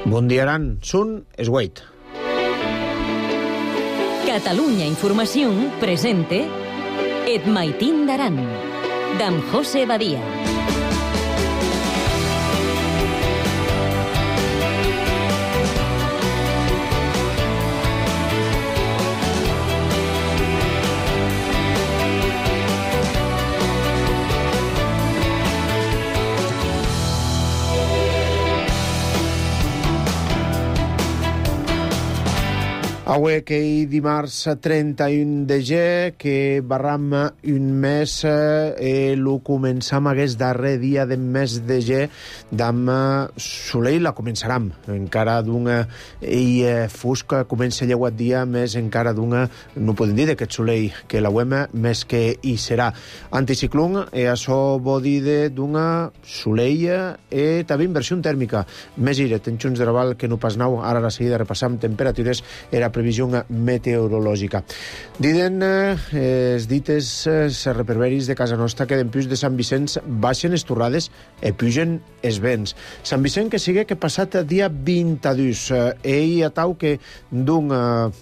Bon dia, Aran. Sun es Wait. Catalunya Informació presente Et Maitín d'Aran, d'en José Badia. Avui que hi dimarts 31 de gener, que barram un mes, lo començam aquest darrer dia del mes de gener, d'am soleil la començaram. Encara d'una fosca comença a lleuat dia, més encara d'una, no podem dir d'aquest soleil, que la uem més que hi serà. Anticiclón, això vol dir d'una soleil també inversió tèrmica. Més iret, en Junts de Raval, que no pas nau, ara a la seguida repassam temperatures, era previsió meteorològica. Diden els dites reperberis de casa nostra que d'empius de Sant Vicenç baixen les torrades i pugen els vents. Sant Vicent que sigue que passat dia 22. Ell atau que d'un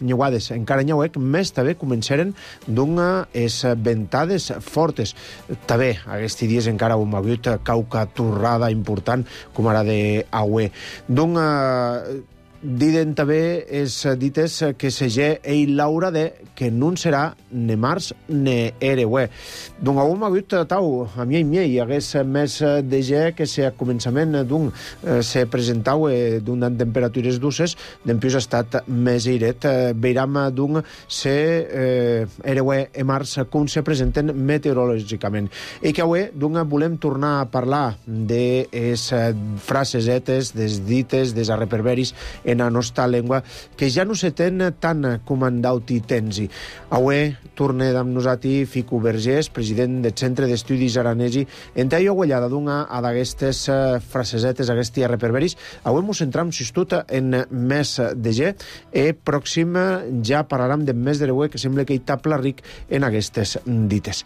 nyuades encara nyauec, més també començaren d'un es ventades fortes. També aquests dies encara hem hagut cauca torrada important com ara d'Aue. D'un diden també els dites que segé ell Laura de que no serà ne març ne ereuè. Doncs avui m'ha hagut tau, a mi i miei, hagués més de ge que se a començament d'un se presentau d'un temperatures dulces, d'empius ha estat més airet. Veiram d'un se ereuè e març com se presenten meteorològicament. I que avui d'un volem tornar a parlar de les frasesetes, des dites, des arreperberis en la nostra llengua, que ja no se ten tant comandaut i tensi. Avui torne amb nosaltres Fico Vergés, president del Centre d'Estudis Aranesi, en tallo guanyada d'una d'aquestes frasesetes, aquests reperberis. Avui ens centram, si tot, en mes de ge, i pròxim ja parlarem de mes de reuè, que sembla que hi tapla ric en aquestes dites.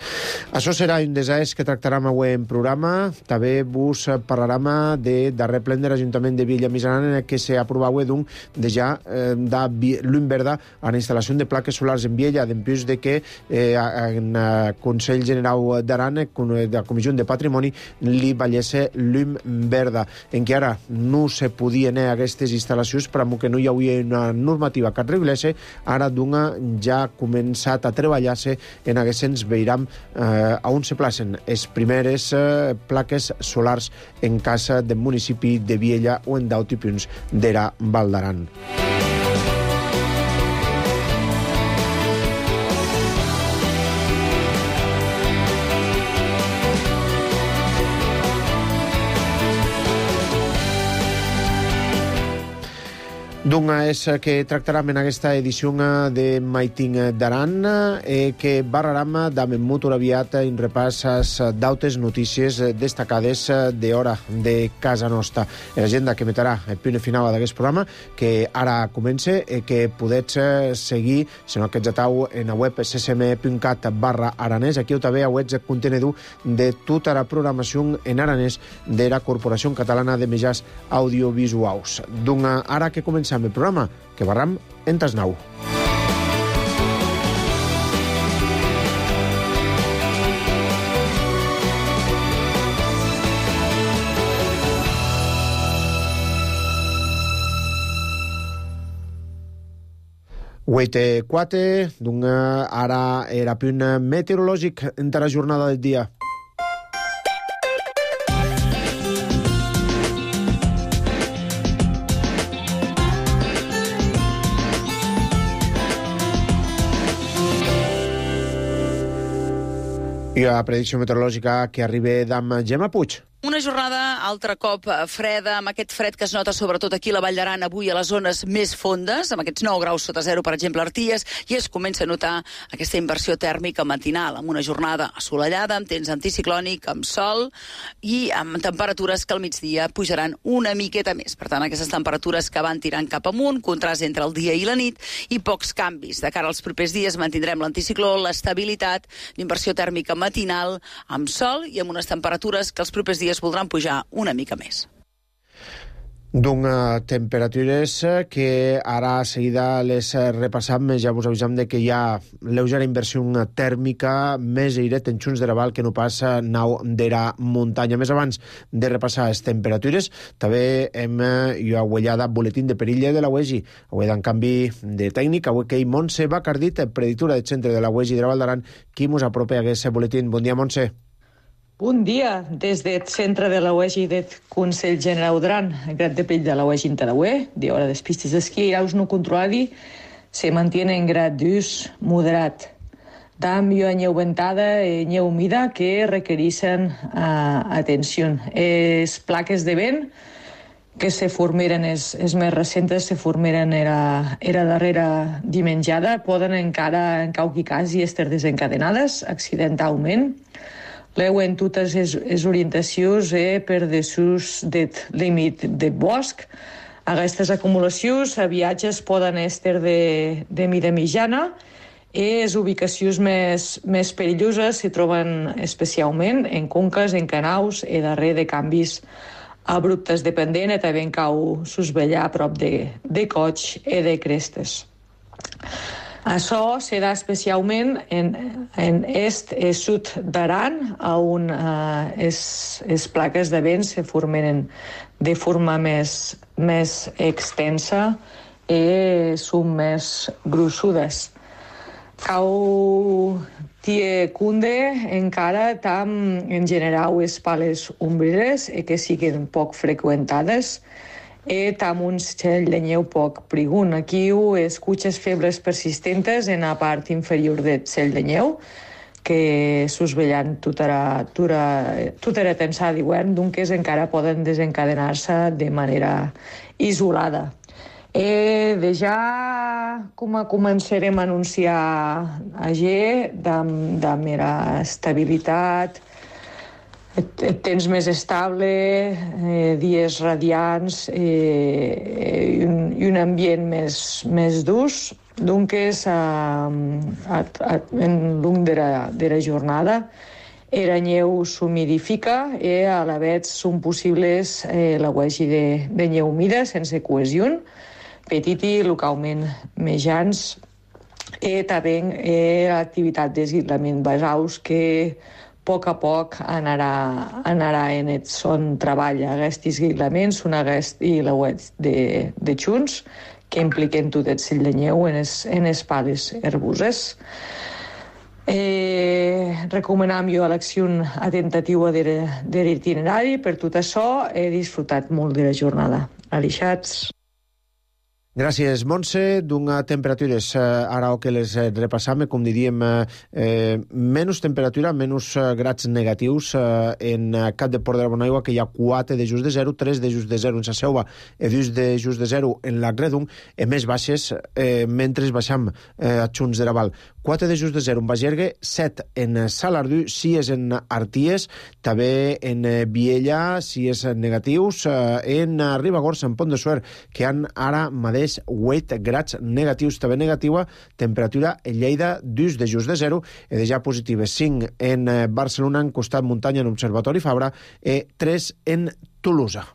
Això serà un desàs que tractarem avui en programa. També vos parlarem de darrer plen de l'Ajuntament de Viella Misaran, en què s'aprova avui d'un de ja da llum verda a la instal·lació de plaques solars en Viella, d'empius de que en Consell General d'Aran, de la Comissió de Patrimoni, li vallesse llum verda, en què ara no se podien aquestes instal·lacions, però que no hi havia una normativa que regulesse, ara d'una ja ha començat a treballar-se en aquests veiram on se placen les primeres plaques solars en casa del municipi de Viella o en d'altres punts d'era Val d'Aran. D'una és que tractarem en aquesta edició de Maitín d'Aran, que barrarem d'am molt aviat en repasses d'autes notícies destacades d'hora de casa nostra. L'agenda que metrà el punt final d'aquest programa, que ara comença, que podets seguir, si no que atau en la web ccm.cat/aranès. Aquí també heu el contenedor de tota la programació en aranès de la Corporació Catalana de Mitjans Audiovisuals. D'una ara que començam el programa, que barram en Tasnau. Huete 4, d'una ara era punt meteorològic entre la jornada del dia. I la predicció meteorològica que arriba d'am Gemma Puig. Una jornada altre cop freda, amb aquest fred que es nota sobretot aquí a la Vall d'Aran avui a les zones més fondes, amb aquests 9 graus sota zero, per exemple, a Arties, i es comença a notar aquesta inversió tèrmica matinal, amb una jornada assolellada, amb temps anticiclònic, amb sol i amb temperatures que al migdia pujaran una miqueta més. Per tant, aquestes temperatures que van tirant cap amunt, contrast entre el dia i la nit i pocs canvis. De cara als propers dies mantindrem l'anticicló, l'estabilitat, l'inversió tèrmica matinal, amb sol i amb unes temperatures que els propers dies voldran pujar una mica més. Temperatures que ara a seguida les repassam. Ja vos avisam de que hi ha lleugera inversió tèrmica, més airet en Xunts de Raval que no passa nau d'era muntanya. Més abans de repassar les temperatures, també hem ullada boletín de perilla de la UEGI. Avui en canvi de tècnic, avui que hi Montse Bacardit, preditura del centre de la UEGI de la Val d'Aran, qui mos apropa a aquest boletín. Bon dia, Montse. Bon dia, des del centre de la UEGI del Consell General d'Aran, el Grat de Pell de la UEGI en Tarahué, de hora des pistes d'esquí i aus no controladi, se mantiene en grad d'ús moderat. Dam i neu ventada i neu humida que requereixen atenció. Les plaques de vent que se formeren, les més recentes, se formeren era darrera dimenjada, poden encara, en qualque cas, i estar desencadenades accidentalment. Leu en totes les orientacions per dessús del límit de bosc. Aquestes acumulacions a viatges poden estar de mida mitjana i les ubicacions més perilloses se troben especialment en conques, en canals i darrere de canvis abruptes de pendent i també en cau susvellar a prop de cots i de crestes. Això se da especialment en est i sud d'Aran, on les plaques de vent se formen de forma més extensa i són més grossudes. Cau tie cunde encara tam en general les pales ombreres que siguen poc freqüentades i tam un cel de neu poc prigun. Aquí escuches febres persistentes en la part inferior del cel de neu que susvellant tota la tensada d'hivern, doncs encara poden desencadenar-se de manera isolada. De ja començarem a anunciar de mera estabilitat, temps més estable, dies radiants i un ambient més durs. Doncs, en long de la jornada, la neu s'humidifica i a la vegada són possibles la UEGI de neu humida sense cohesió, petit i localment mejans, i també l'activitat d'esguitlament basaus que a poc anarà en el son treball. Aquest esguitlament són i la web de Xunts que impliquen tot el cell de neu en les pales herbuses. Recomanam jo l'acció atentativa de l'itinerari. Per tot això he disfrutat molt de la jornada. Alixats. Gràcies, Montse. Temperatures, ara que les repassam, com diríem, menys temperatura, menys grads negatius en Cap de Port de la Bonaigua, que hi ha 4 de just de 0, 3 de just de 0 en Sa Selva i 2 de just de 0 en la Gredung, i més baixes mentre baixam a Xunts de Raval. 4 de just de 0 en Bagergue, 7 en Salardú, 6 en Arties, també en Viella, 6 negatius, en Ribagorça, en Pont de Suert, que han ara mateix 8 grads negatius, també negativa, temperatura en Lleida 2 de just de 0, i de ja positives 5 en Barcelona, en costat muntanya en Observatori Fabra, i 3 en Tolosa.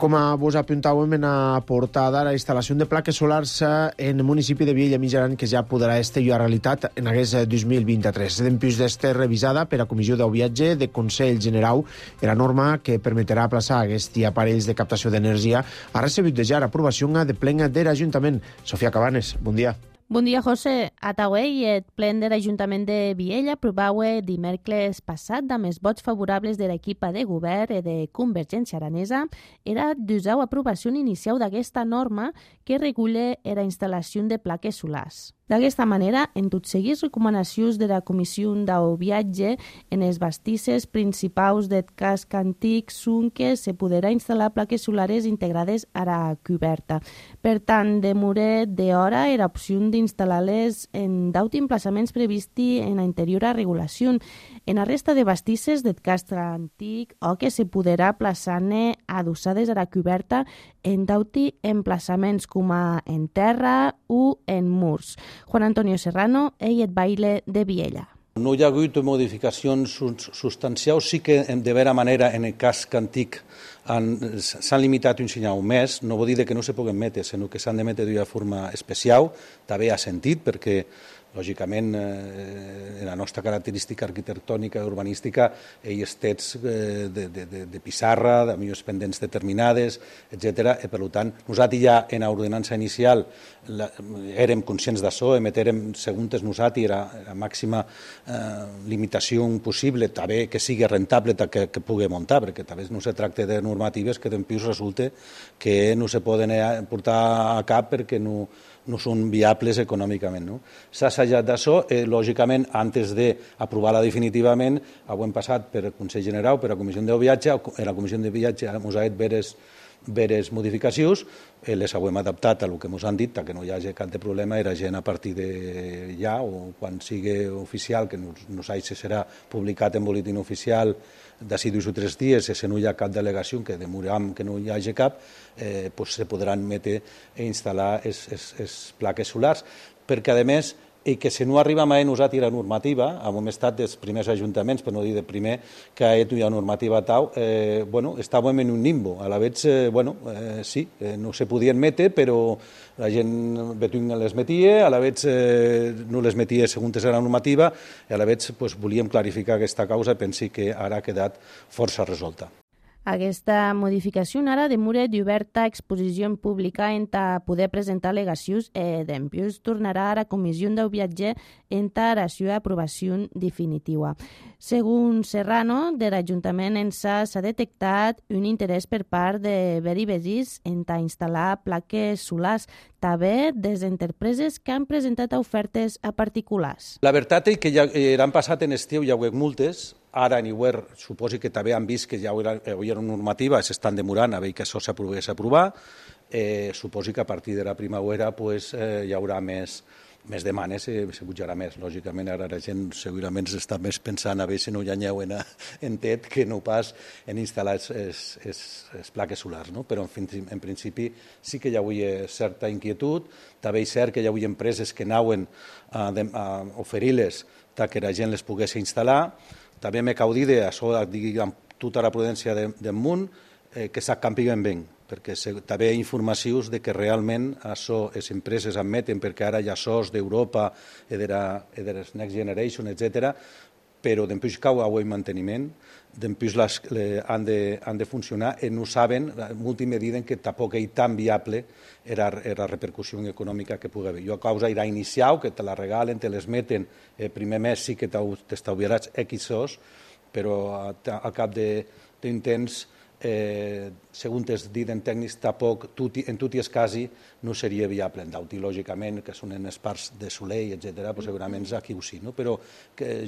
Com vos apuntàvem en la portada, la instal·lació de plaques solars en el municipi de Viella Mitjaran, que ja podrà estar a realitat en aquest 2023. Dempuix d'estar revisada per a Comissió del Viatge de Consell General, la norma que permetrà aplaçar aquests aparells de captació d'energia ha recebut ja l'aprovació de plen de l'Ajuntament. Sofia Cabanes, bon dia. Bon dia, José. A Taué, el plen de l'Ajuntament de Viella aprovava dimecres passat amb els vots favorables de l'equipa de govern i de Convergència Aranesa era d'usar l'aprovació inicial d'aquesta norma que regula la instal·lació de plaques solars. D'aquesta manera, en tots seguits recomanacions de la Comissió del Viatge, en els bastisses principals del casc antic són que se podrà instal·lar plaques solars integrades a la coberta. Per tant, demora d'hora era opció d'instal·lar-les en 10 emplaçaments previsti en l'interior a regulació. En la resta de bastisses del casc antic, o que se podrà plaçar-ne adossades a la coberta en 10 emplaçaments com en terra o en murs. Juan Antonio Serrano, ell et baile de Viella. No hi ha hagut modificacions substancials, sí que de vera manera en el casc antic s'han limitat un senyal més, no vol dir que no se puguen metre, sinó que s'han de metre d'una forma especial, també ha sentit, perquè lògicament, en la nostra característica arquitectònica i urbanística, ells tets de pissarra, de millors pendents determinades, etc. Per tant, nosaltres ja en l'ordenança inicial érem conscients d'això, emetrem, segons nosaltres, era la màxima limitació possible, també que sigui rentable que pugui muntar, perquè també no se tracta de normatives que després resulta que no se poden portar a cap perquè no són viables econòmicament. S'ha assajat d'això, lògicament, antes d'aprovar-la definitivament, ho hem passat per el Consell General, per la Comissió de Viatge, en la Comissió de Viatge ens ha fet veres modificacions, les hem adaptat a el que ens han dit, que no hi hagi cap de problema, era gent a partir de ja, o quan sigui oficial, que no sé si serà publicat en boletín oficial d'ací 2 o 3 dies, si no hi ha cap delegació, que demoram que no hi hagi cap, se podran metre i instal·lar les plaques solars, perquè a més, i que si no arriba mai nosaltres la normativa, hem estat dels primers ajuntaments, per no dir de primer, que hi ha normativa tal, estàvem en un limbo. A la vegada, sí, no se podien metre, però la gent les metia, a la vegada no les metia segons la normativa, i a la vegada volíem clarificar aquesta causa i pensi que ara ha quedat força resolta. Aquesta modificació ara demora d'oberta exposició pública en poder presentar al·legacions i després tornarà a la Comissió del Viatge en la seva aprovació definitiva. Segons Serrano, de l'Ajuntament s'ha detectat un interès per part de veïns en instal·lar plaques solars, també des d'empreses que han presentat ofertes a particulars. La veritat és que ja han passat en estiu, hi ha hagut multes. Ara en Iwer suposo que també han vist que ja hi havia una normativa, s'estan demorant a veure que això s'aprovés a aprovar. Suposo que a partir de la primavera hi haurà més demanes i se pujarà més. Lògicament ara la gent segurament està més pensant a veure si no hi ha neu en tet que no pas en instal·lar les plaques solars. Però en principi sí que hi havia certa inquietud. També és cert que hi havia empreses que anaven a oferir-les que la gent les pogués instal·lar. També m'he caudit d'això, amb tota la prudència del món, que s'acampiguen bé, perquè també hi ha informacions que realment això les empreses admeten, perquè ara hi ha SOS d'Europa i de les Next Generation, etc., però després cau el manteniment, després han de funcionar i no saben, en última medida, que tampoc és tan viable la repercussió econòmica que pugui haver. Jo a causa era inicial, que te la regalen, te les meten, el primer mes sí que t'estalviaràs X SOS, però al cap d'un temps, segons es diuen tècnics, tampoc en tot i es quasi no seria viable. En Dauti, lògicament, que són en les parts de Soleil, etc., segurament aquí ho sí. Però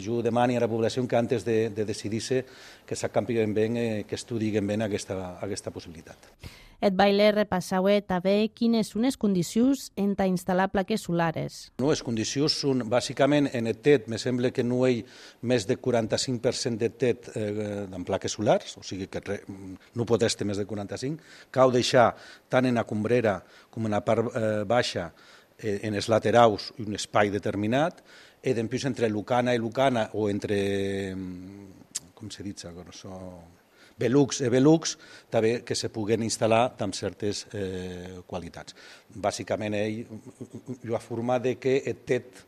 jo demani a la població que antes de decidir-se que s'acampiguen bé, que estudien bé aquesta possibilitat. Et baile repassau també quines són les condicions en instal·lar plaques solars. Les condicions són, bàsicament, en el TET, me sembla que no hi ha més de 45% de TET en plaques solars, o sigui que no pot estar més de 45%. Cal deixar, tant en la combrera com en la part baixa, en els laterals, un espai determinat, i després entre lucana i lucana, o entre, com se dit això, Velux i Velux, també que se puguen instal·lar amb certes qualitats. Bàsicament, ell ha format que el TET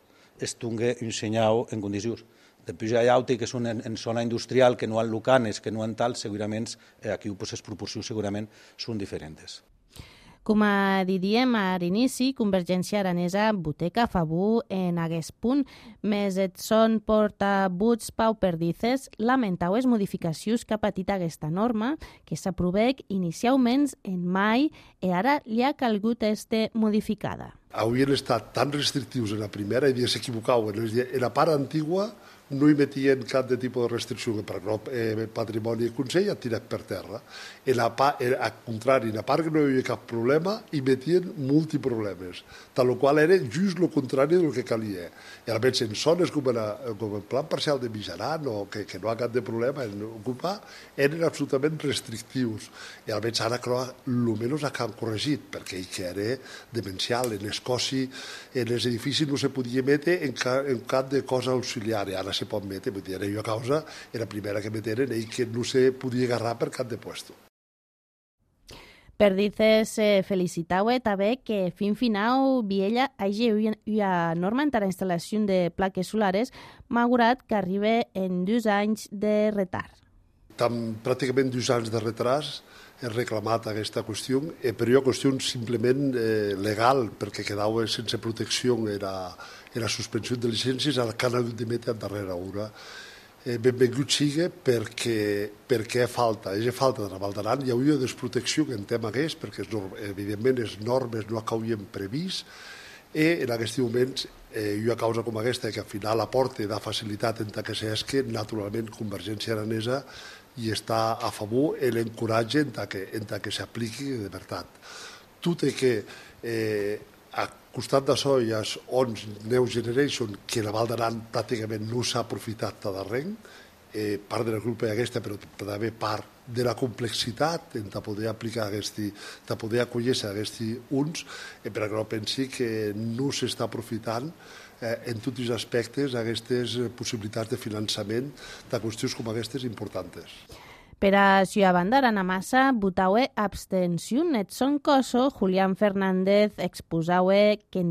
es tingui un senyal en condicions. Després hi ha altres que són en zona industrial, que no han lucanes, que no han tal, segurament aquí les proporcions segurament són diferents. Com diríem a l'inici, Convergència Aranesa voteca a favor en aquest punt, més et són portabuts Pau Perdices lamentau les modificacions que ha patit aquesta norma, que s'aprovec inicialment en mai i ara li ha calgut modificada. havien estat tan restrictius en la primera i s'equivocaven. En la part antigua no hi metien cap de tipus de restricció, per exemple, Patrimoni i Consell ha tirat per terra. Al contrari, en la part que no hi havia cap problema, hi metien multiproblemes, tal qual era just el contrari del que calia. I almenys en zones com el plan parcial de Mijaran, o que no ha cap de problema en ocupar, eren absolutament restrictius. I almenys ara, clar, almenys han corregit, perquè que era demencial. En Escòcia, en els edificis no se podia metre en cap de cosa auxiliar. Ara se pot metre, vull dir, jo a causa era la primera que meteren i que no se podia agarrar per cap de puesto. Perdices felicitaue també que fin final Viella hagi una norma en la instal·lació de plaques solares, malgrat que arriba en 2 anys de retard. Pràcticament 2 anys de retard he reclamat aquesta qüestió, però hi ha qüestió simplement legal, perquè quedava sense protecció la suspensió de llicències, ara que han hagut de metre a darrera hora. Benvingut sigui perquè falta de la Val d'Aran. Hi hauria desprotecció que en tema aquest, perquè evidentment les normes no acabarien previst, i en aquest moment hi ha causa com aquesta que al final aporta de facilitat en que s'esque, naturalment Convergència Aranesa i està a favor i l'encoratge en que s'apliqui de veritat. Tot i que al costat d'això hi ha Next Generation, que la Val d'Aran pràcticament no s'ha aprofitat de res, part de la culpa aquesta, però també part de la complexitat de poder aplicar de poder acollir-se a aquests uns, perquè no pensi que no s'està aprofitant en tots els aspectes aquestes possibilitats de finançament de qüestions com aquestes importants. Per a Ciutat Bandarana Massa, votaue abstenció. Edson Coso, Julián Fernández exposaue que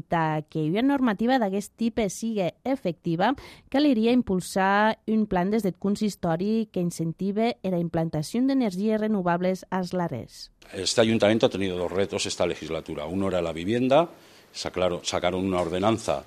que una normativa d'aquest tipus sigui efectiva, caliria impulsar un plan des del consistori que incentive la implantación de energías renovables als lares. Este ayuntamiento ha tenido 2 retos esta legislatura. Uno era la vivienda, sacaron una ordenanza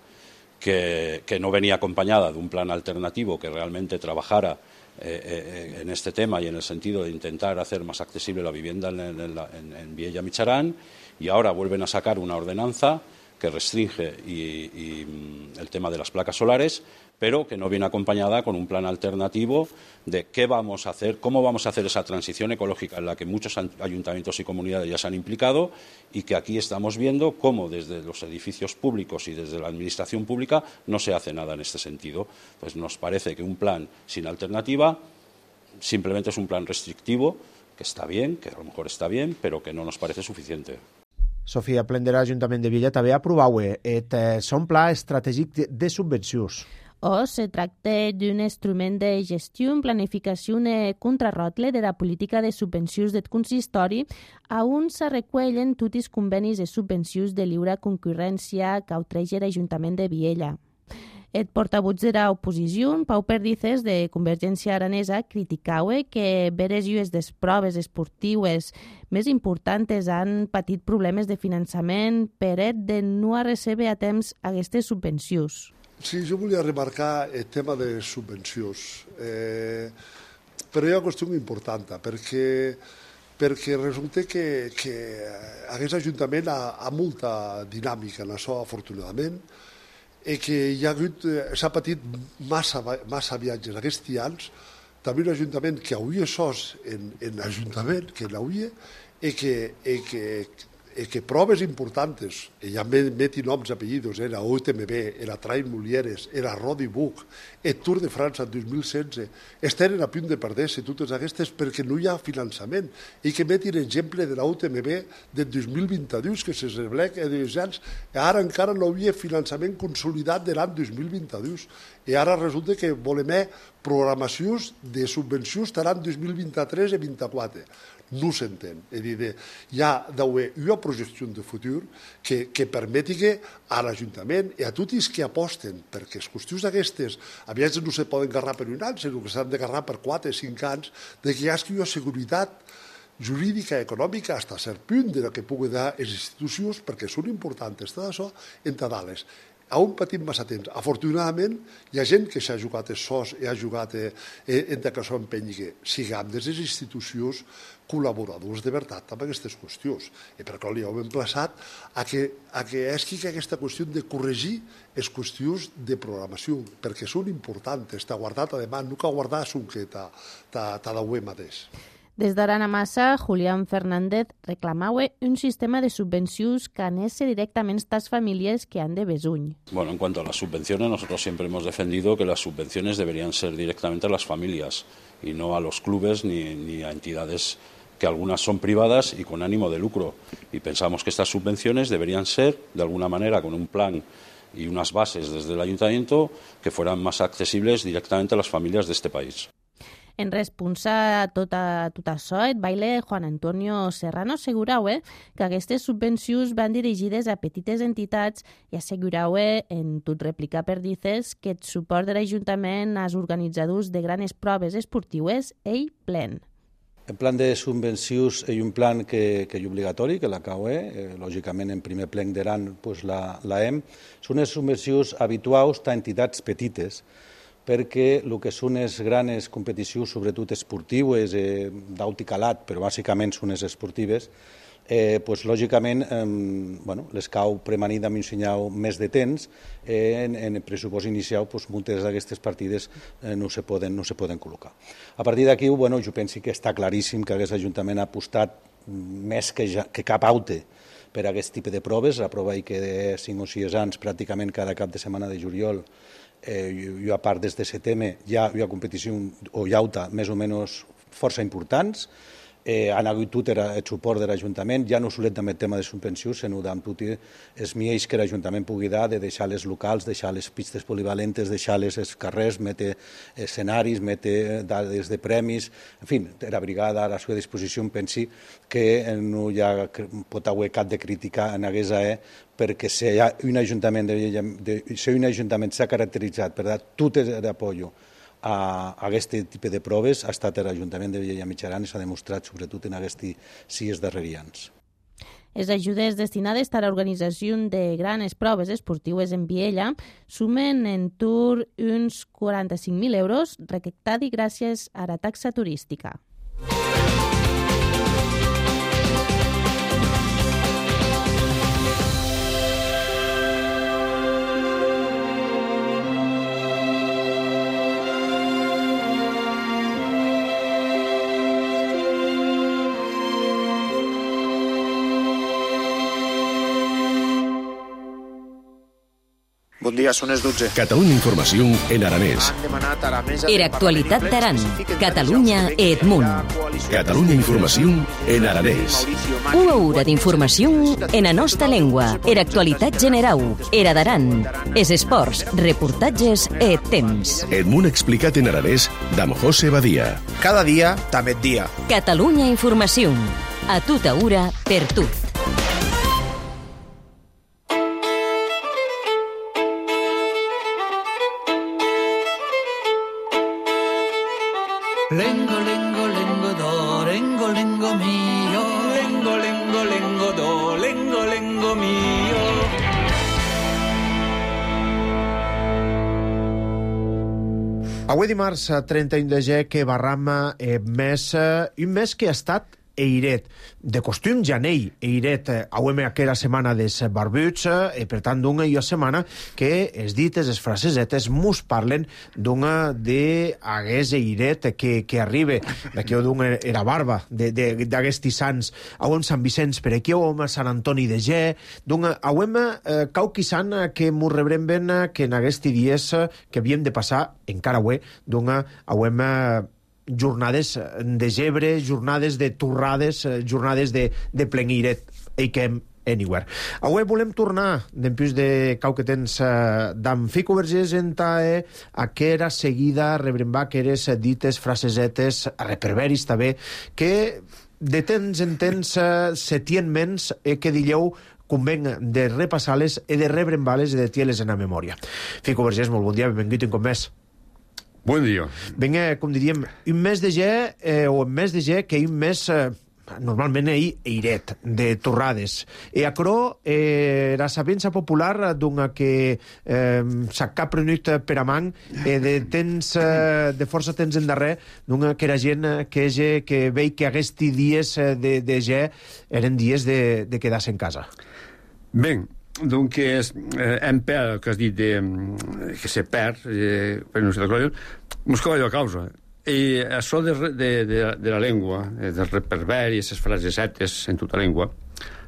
que no venía acompañada de un plan alternativo que realmente trabajara en este tema y en el sentido de intentar hacer más accesible la vivienda en Viella Micharán, y ahora vuelven a sacar una ordenanza que restringe el tema de las placas solares, pero que no viene acompañada con un plan alternativo de qué vamos a hacer, cómo vamos a hacer esa transición ecológica en la que muchos ayuntamientos y comunidades ya se han implicado, y que aquí estamos viendo cómo desde los edificios públicos y desde la administración pública no se hace nada en este sentido. Pues nos parece que un plan sin alternativa simplemente es un plan restrictivo, que está bien, que a lo mejor está bien, pero que no nos parece suficiente. Sofia Plendera, Ajuntament de Viella, també aprovau son pla estratègic de subvencions. Se tracta d'un instrument de gestió, planificació i contrarrotle de la política de subvencions del consistori, on se recullen tots els convenis de subvencions de lliure concurrència que ofereix l'Ajuntament de Viella. El portavoz de l'oposició, Pau Perdices, de Convergència Aranesa, criticaue que veres llues des proves esportives més importants han patit problemes de finançament per de no rebre a temps aquestes subvencions. Sí, jo volia remarcar el tema de subvencions, però hi ha una qüestió important, perquè resulta que aquest Ajuntament ha molta dinàmica en això, afortunadament, i que s'ha patit massa viatges aquests anys, també un Ajuntament que hauria sos en l'Ajuntament, que l'hauria, i que proves importants, ja meti noms i apellidos, la UTMB, la Trail Mulieres, la Rodi Buc, el Tour de França en 2016, estaven a punt de perder-se totes aquestes perquè no hi ha finançament, i que metin exemple de la UTMB del 2022, que se revela que ara encara no hi havia finançament consolidat de l'any 2022, i ara resulta que volem programacions de subvencions de l'any 2023 i 2024. No s'entén. És a dir, hi ha d'haver una projecció de futur que permeti que a l'Ajuntament i a tots els que aposten, perquè les qüestions d'aquestes a vegades no se poden agarrar per un any, sinó que s'han d'agarrar per 4 o 5 anys, que hi hagi una seguretat jurídica i econòmica fins a cert punt de la que pugui dar les institucions, perquè són importants tot això, entre dalt. on patim massa temps. Afortunadament, hi ha gent que s'ha jugat els sos i ha jugat en que això empenyi. Siguem des de les institucions col·laboradors de veritat amb aquestes qüestions. I per això li hem emplaçat a que esqui aquesta qüestió de corregir les qüestions de programació, perquè són importants. T'ha guardat, además, no cal guardar un que t'ha d'avui mateix. Des d'Arana Massa, Julián Fernández reclamaue un sistema de subvencions que anese directamente a estas familias que han de besuny. Bueno, en cuanto a las subvenciones, nosotros siempre hemos defendido que las subvenciones deberían ser directamente a las familias y no a los clubes ni a entidades que algunas son privadas y con ánimo de lucro. Y pensamos que estas subvenciones deberían ser, de alguna manera, con un plan y unas bases desde el ayuntamiento que fueran más accesibles directamente a las familias de este país. En responsa a tot això, el baile Juan Antonio Serrano assegurau que aquestes subvencions van dirigides a petites entitats i assegurau en tot replicar per dices que el suport de l'Ajuntament als organitzadors de grans proves esportives és plen. El plan de subvencions és un plan que és obligatori, que la CAUE, lògicament en primer plenc d'Aran la hem. Són les subvencions habituals a entitats petites, perquè el que són les grans competicions, sobretot esportives, d'alt i calat, però bàsicament són les esportives, lògicament les cau premanir amb un senyal més de temps, en el pressupost inicial moltes d'aquestes partides no se poden col·locar. A partir d'aquí, jo penso que està claríssim que aquest Ajuntament ha apostat més que cap altre per a aquest tipus de proves. La prova hi que de 5 o 6 anys, pràcticament cada cap de setmana de juliol, i a part des de setembre hi ha competició o llauta més o menys força importants. Han hagut tot el suport de l'Ajuntament, ja no solet amb el tema de subvencions, sinó amb tot els miells que l'Ajuntament pugui dar, de deixar les locals, deixar les pistes polivalentes, deixar els carrers, metre escenaris, metre dades de premis, en fi, la brigada a la seva disposició, pensi que no hi pot haver cap de crítica en aquesta perquè si un ajuntament s'ha caracteritzat per dar tot l'apoyo a aquest tipus de proves, ha estat l'Ajuntament de Vielha i Mitjaran i s'ha demostrat sobretot en aquests 6 darrers anys. Les ajudes destinades a l'organització de grans proves esportives en Vielha sumen en tur uns 45.000 euros recaptats gràcies a la taxa turística. Bon dia, són les 12. Catalunya Informació en aranès. Era actualitat d'Aran. Catalunya et Munt. Catalunya Informació en aranès. Una hora d'informació en la nostra llengua. Era actualitat general. Era d'Aran. Es esports, reportatges et temps. Et Munt explicat en aranès d'Am José Badia. Cada dia, també et dia. Catalunya Informació. A tota hora, per tot. Lengo, lengo, lengo, do, lengo, lengo mio. Lengo, lengo, lengo, do, lengo, lengo mio. Avui dimarts 31 de gener que barram un mes que ha estat eiret. De costum janell eiret auem aquella setmana des barbuts i per tant d'una i una setmana que es dites, les frasesetes mos parlen d'una d'aguest eiret que arriba d'aquí o d'una era barba d'aguestis sants. Auem Sant Vicenç per aquí, auem Sant Antoni de Ge, d'una auem cauquisant que mos rebrem ben que en aguesti dies que havíem de passar encara avui d'una auem jornades de gebre, jornades de torrades, jornades de plenguiret, eiquem anywhere. Avui volem tornar, d'empús de cau que tens d'en Fico Vergés en tae, a que era seguida rebrembar que eres dites frasesetes, a reperveris també, que de temps en temps se tien mens que dilleu conven de repassar-les i de rebrembar-les i de tier-les en la memòria. Fico Vergés, molt bon dia, benvingut un cop més. Bon dia. Vinga, com diríem, un mes de gener o un mes de gener que un mes normalment eiret, de torrades. E aquerò la sabenza popular donca que s'ha caprenut per amant de força temps endarrer, donca que era gent que vei que aquests dies de ge eren dies de quedar-se en casa. Ben, donc hem perd, el que has dit que se perd, per no sé de cosa, mos cau allò a causa. I això de la llengua, del reverberi, les frasesetes en tota llengua,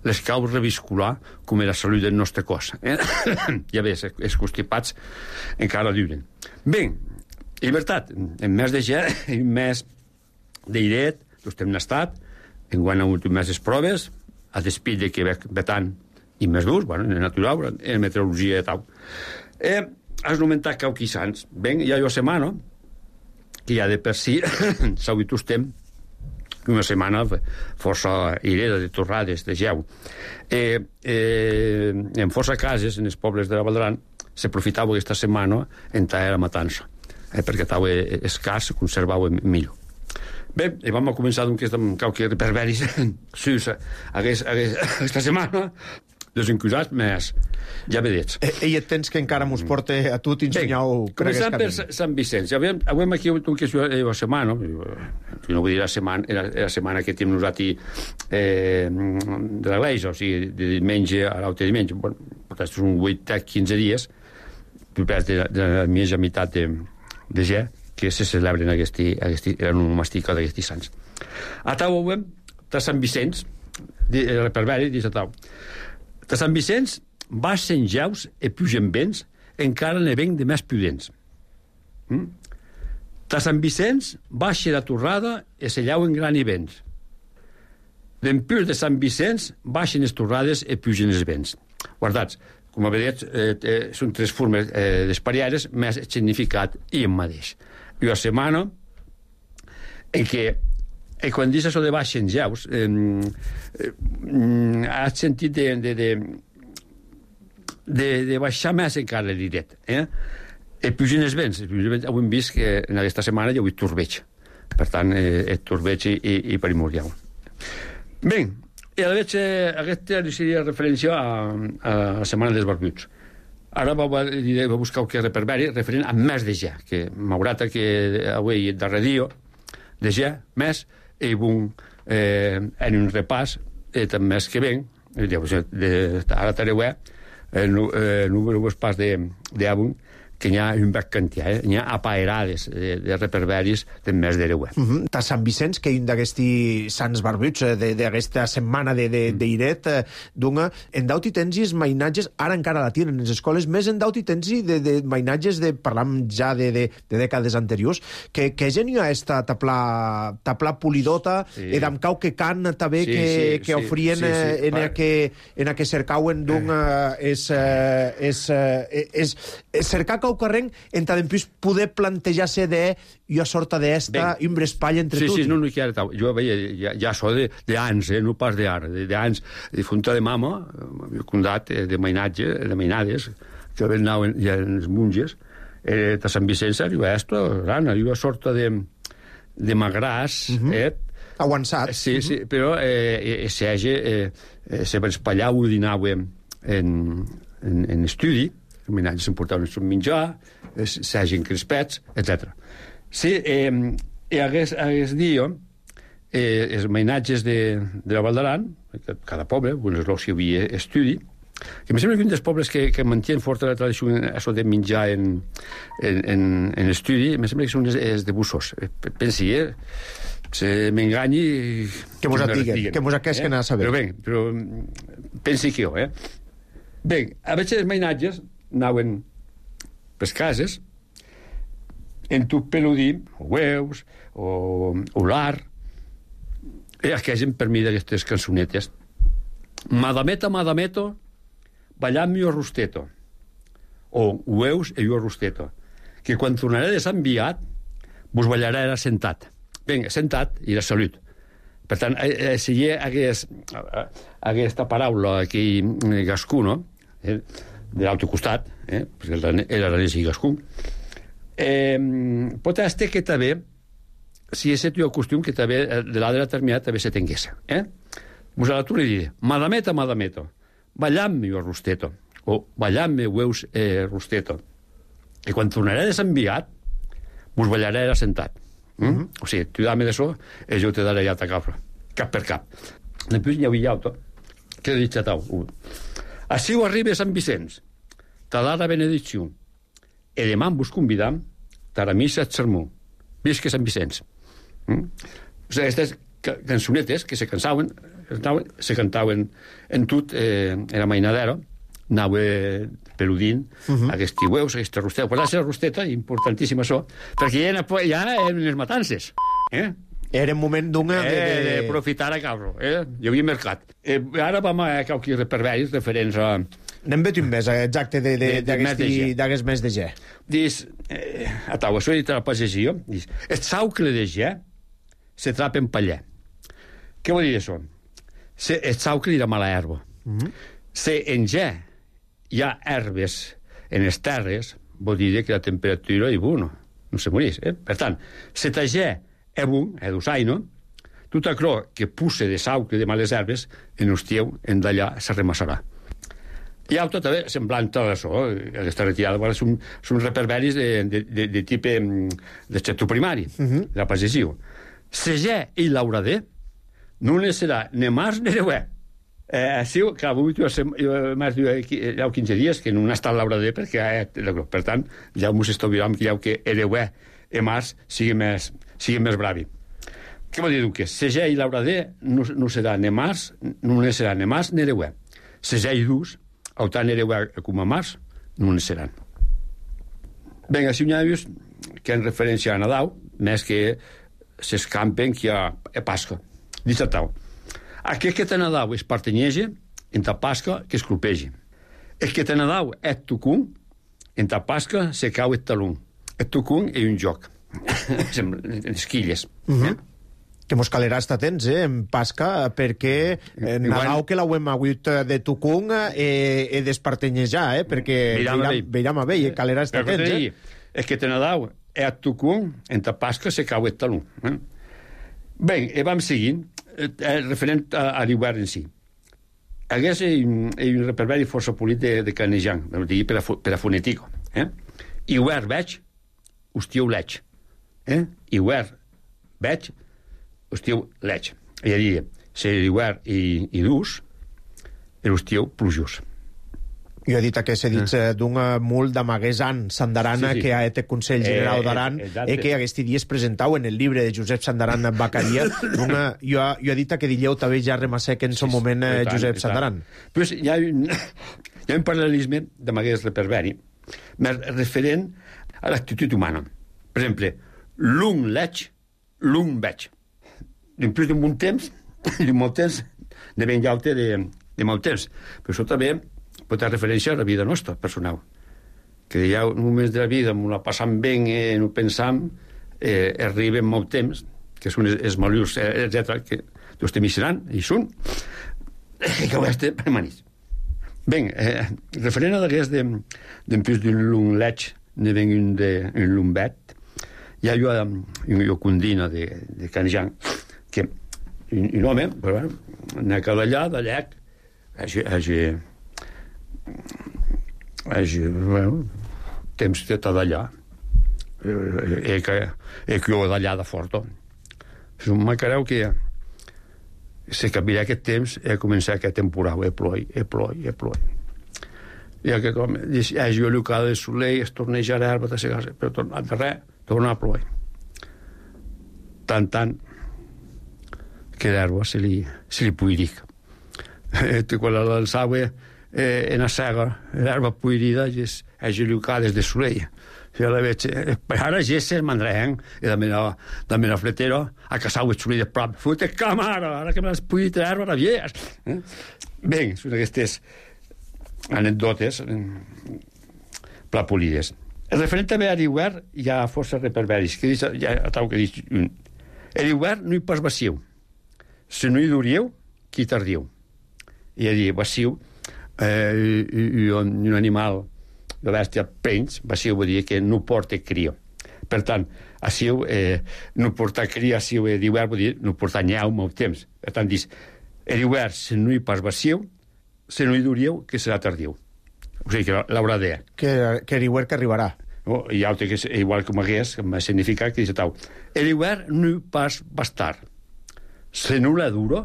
les cau reviscular com la salut del nostre cos. Ja ves, els constipats encara duren. Bé, i veritat, en mes de ge, en mes d'airet, estem estat, enguany han hagut més les proves, a despit de que vetant i més durs, bueno, en natural, en meteorologia i tal. Has nomentat cauquissants. Ben, hi ha una setmana que ja de per si s'hagut estem una setmana força ireda de torrades, de geu. En força cases, en els pobles de la Val d'Aran, s'aprofitava aquesta setmana en tallar la matança, perquè estava escàs, se conservava millor. Bé, i vam començar amb qualque reverberis aquesta setmana, desencusats, més ja vedets. I et tens que encara mos porta a tu t'ensenyau... Començant per Sant Vicenç. Avui aquí una setmana, no vull dir la setmana que tenim nosaltres de l'Església, o sigui, de diumenge a l'altre diumenge. Portes uns 8-15 dies, de la mitja meitat de ge, que se celebren la onomàstica d'aquests sants. A Tau avui, de Sant Vicenç, el reverberi, dius a Tau. De Sant Vicenç baixen geus i pugen vents, encara ne venc de més prudents. De Sant Vicenç baixa la torrada i se llauen gran i vents. D'empús de Sant Vicenç baixen les torrades i pugen els vents. Guardats, com a vedets, són tres formes d'espariares, més significat i en mateix. I una setmana en què quan dius això de baixen geus has sentit de baixar més encara l'iret, i pugen els vents. Avui hem vist que en aquesta setmana hi ha hagut torbeig, per tant el torbeig i primordial. Bé, i aquesta seria referència a la setmana dels barbuts. Ara va buscar qualque reverberi referent a més de ge, que m'haurà que avui darrer dia de ge, més, i en un repàs també més que ven, ara tareu el número pas d'avui, que n'hi ha un bec quantià, n'hi ha apaerades de reverberis del mes de reuer. Ta Sant Vicenç, que un d'aquests sants barbuts d'aquesta setmana d'Iret, en daut i tens els mainatges, ara encara la tenen en les escoles, més en daut i tens de mainatges, parlam ja de dècades anteriors, que gent hi ha esta tapla polidota, i d'am cau que can també que ofrien en a que cercauen cercar cau carreng en tant plus poder plantejar-se una sorta d'esta i un brespall entre tots. Sí, no, jo veia ja això d'ans, no pas d'ara, d'ans, de funta de mama, el condat de mainades, que anaven ja els monges, de Sant Vicenç, arriba una sorta de magràs, avançat. Sí, però se brespallava i dinava en estudi, els mainatges s'emportaven el seu menjar, s'hagin crispets, etc. Sí, i aquest dia, els mainatges de la Val d'Aran, cada poble, alguns llocs hi havia estudi, que em sembla que un dels pobles que mantien forta la tradició això de menjar en estudi, em sembla que són els de Bussos. Pensi, se m'enganyi... Que mos atiguen, que mos aquesquen a saber. Però pensi que jo, Bé, a veure els mainatges anaven per cases en tu peludí, o hueus, o lar, i aquells per mi d'aquestes cançonetes. Madameto, ballant-me o rosteto, o hueus i o rosteto, que quan tornaré de Sant Viat vos ballarà era sentat. Ben, sentat i la salut. Per tant, si hi ha aquesta paraula aquí gascú, no?, de l'altre costat, perquè era l'anès i gascú, pot estar que també si és el costum que també, de l'altre determinat, també se tingués. Vos a la tu li diré, madameta, ballam-me jo rosteto, o ballam-me veus rosteto. I quan tornaré de Sant Viat, vos ballaré assentat. O sigui, tu dame d'això, i jo te daré ja ta capra, cap per cap. Després n'hi havia auto, que he dit a tau. Així ho arriba a Sant Vicenç, ta dara benedicció, i demà vos convidam a la missa et sermó. Visca Sant Vicenç. O sigui, aquestes cançonetes que se cantaven en tot, era mainadero, anava peludint aquests tiueus, aquesta rosteta. Pues la rosteta, importantíssima això, perquè ja eren les matances. Era un moment d'una... De profitar a cabro. Hi havia mercat. Ara vam a qualques reperveris referents a... Anem veient més, exacte, d'aquest mes de ge. Dius, a tau, això he dit a la pagesia, dius, el saucle de ge se trapa en paller. Què vol dir això? El saucle era mala herba. Se en ge hi ha herbes en les terres, vol dir que la temperatura és bona, no se morís. Per tant, se ta ge è bon, è d'usaino, tot aquello que pusse de saucle de males herbes, en hostieu, en d'allà se remassarà. Hi ha tot semblant a això, aquesta retirada, són reperveris de tipus de sector primari, de la pagesia. Se ge i l'auradé no ne serà ne març ne reuè. Així, clar, avui m'has dit ja 15 dies que no ha estat l'auradé perquè, per tant, ja m'ho estoviram que reuè i març sigui més bravi. Què vol dir que se ge i l'auradé no serà ne març, no ne serà ne març ne reuè. Se ge i dus, autant reuè com a març, no ne seran. Ben, així n'hi ha vist que en referència a Nadal, més que s'escampen que hi ha Pasca. Dic a tau. Aquest que te Nadal es partanyege, en ta Pasca que es clopegi. El que te Nadal és tucun, en ta Pasca se cau el talón. El tucun és un joc. Esquilles. Que mos calerà estar atents, en Pasca, perquè Nadal que l'hauem hagut de tucun he d'espartenyejar, perquè veiram a vell, calerà estar atents. El que te Nadal és tucun, en ta Pasca se cau el talón. Bé, vam seguint, referent a l'hivern en si. Aquest és un reperveri força polit de Canejan, per a fonètico. Hivern veig, hostiu leig. Hivern veig, hostiu leig. És a dir, si l'hivern i dus, l'hostiu plujós. Jo he dit que s'ha dit d'un mul d'Amaguesan Sandarana que ha été Consell General d'Aran i que aquests dies presentau en el llibre de Josep Sandaran Bacaria. Jo he dit que dilleu també ja remassec en son moment Josep Sandaran. Però hi ha un paral·lelisme d'Amagues reperveri referent a l'actitud humana. Per exemple, l'un leig, l'un veig. Després d'un bon temps, de ben llaute de molt temps. Però això també pot fer referència a la vida nostra, personal. Que hi ha moments de la vida on la passam bé, no pensam, arriben molt temps, que són els malurs, etc., que tots te misseran, i són, que ho estem permanents. Bé, referent a d'aquest d'en plus d'un lung leig, ne ven un lung vet, hi ha jo condina de Canejan, que un home, n'ha quedat allà, d'allà, temps de d'allà que jo d'allà de fort me creu que se canviarà aquest temps i començar aquest temporal ploi i aquest home jo l'ucada de soleil es torneja l'herba de segar però tornat de res torna a ploi tant que l'herba se li puiric quan la lançava en la sega, l'herba puirida és l'ucades de soleil. Ara ja se'n mandrem, i també la fletera, a casau el soleil de prop. Fute camara, ara que me l'has puirit l'herba, rabies. Bé, són aquestes anècdotes plapolides. Referent també a l'hivern, hi ha força reperveris. L'hivern no hi pas vassiu. Si no hi durieu, qui tardiu. I a dir, vassiu, un animal de bèstia penys, vassiu vol dir que no porta cria. Per tant, assiu, no portar cria, assiu d'hivern, vull dir, no portar nyau molt temps. Per tant, dius, l'hivern, si no hi pas vassiu, si no hi durieu, que serà tardiu. O sigui, que l'haurà de... Que l'hivern que arribarà. I altre que és igual com hagués, que m'ha significat que dice tau, l'hivern no hi pas bastar. Si no la duro,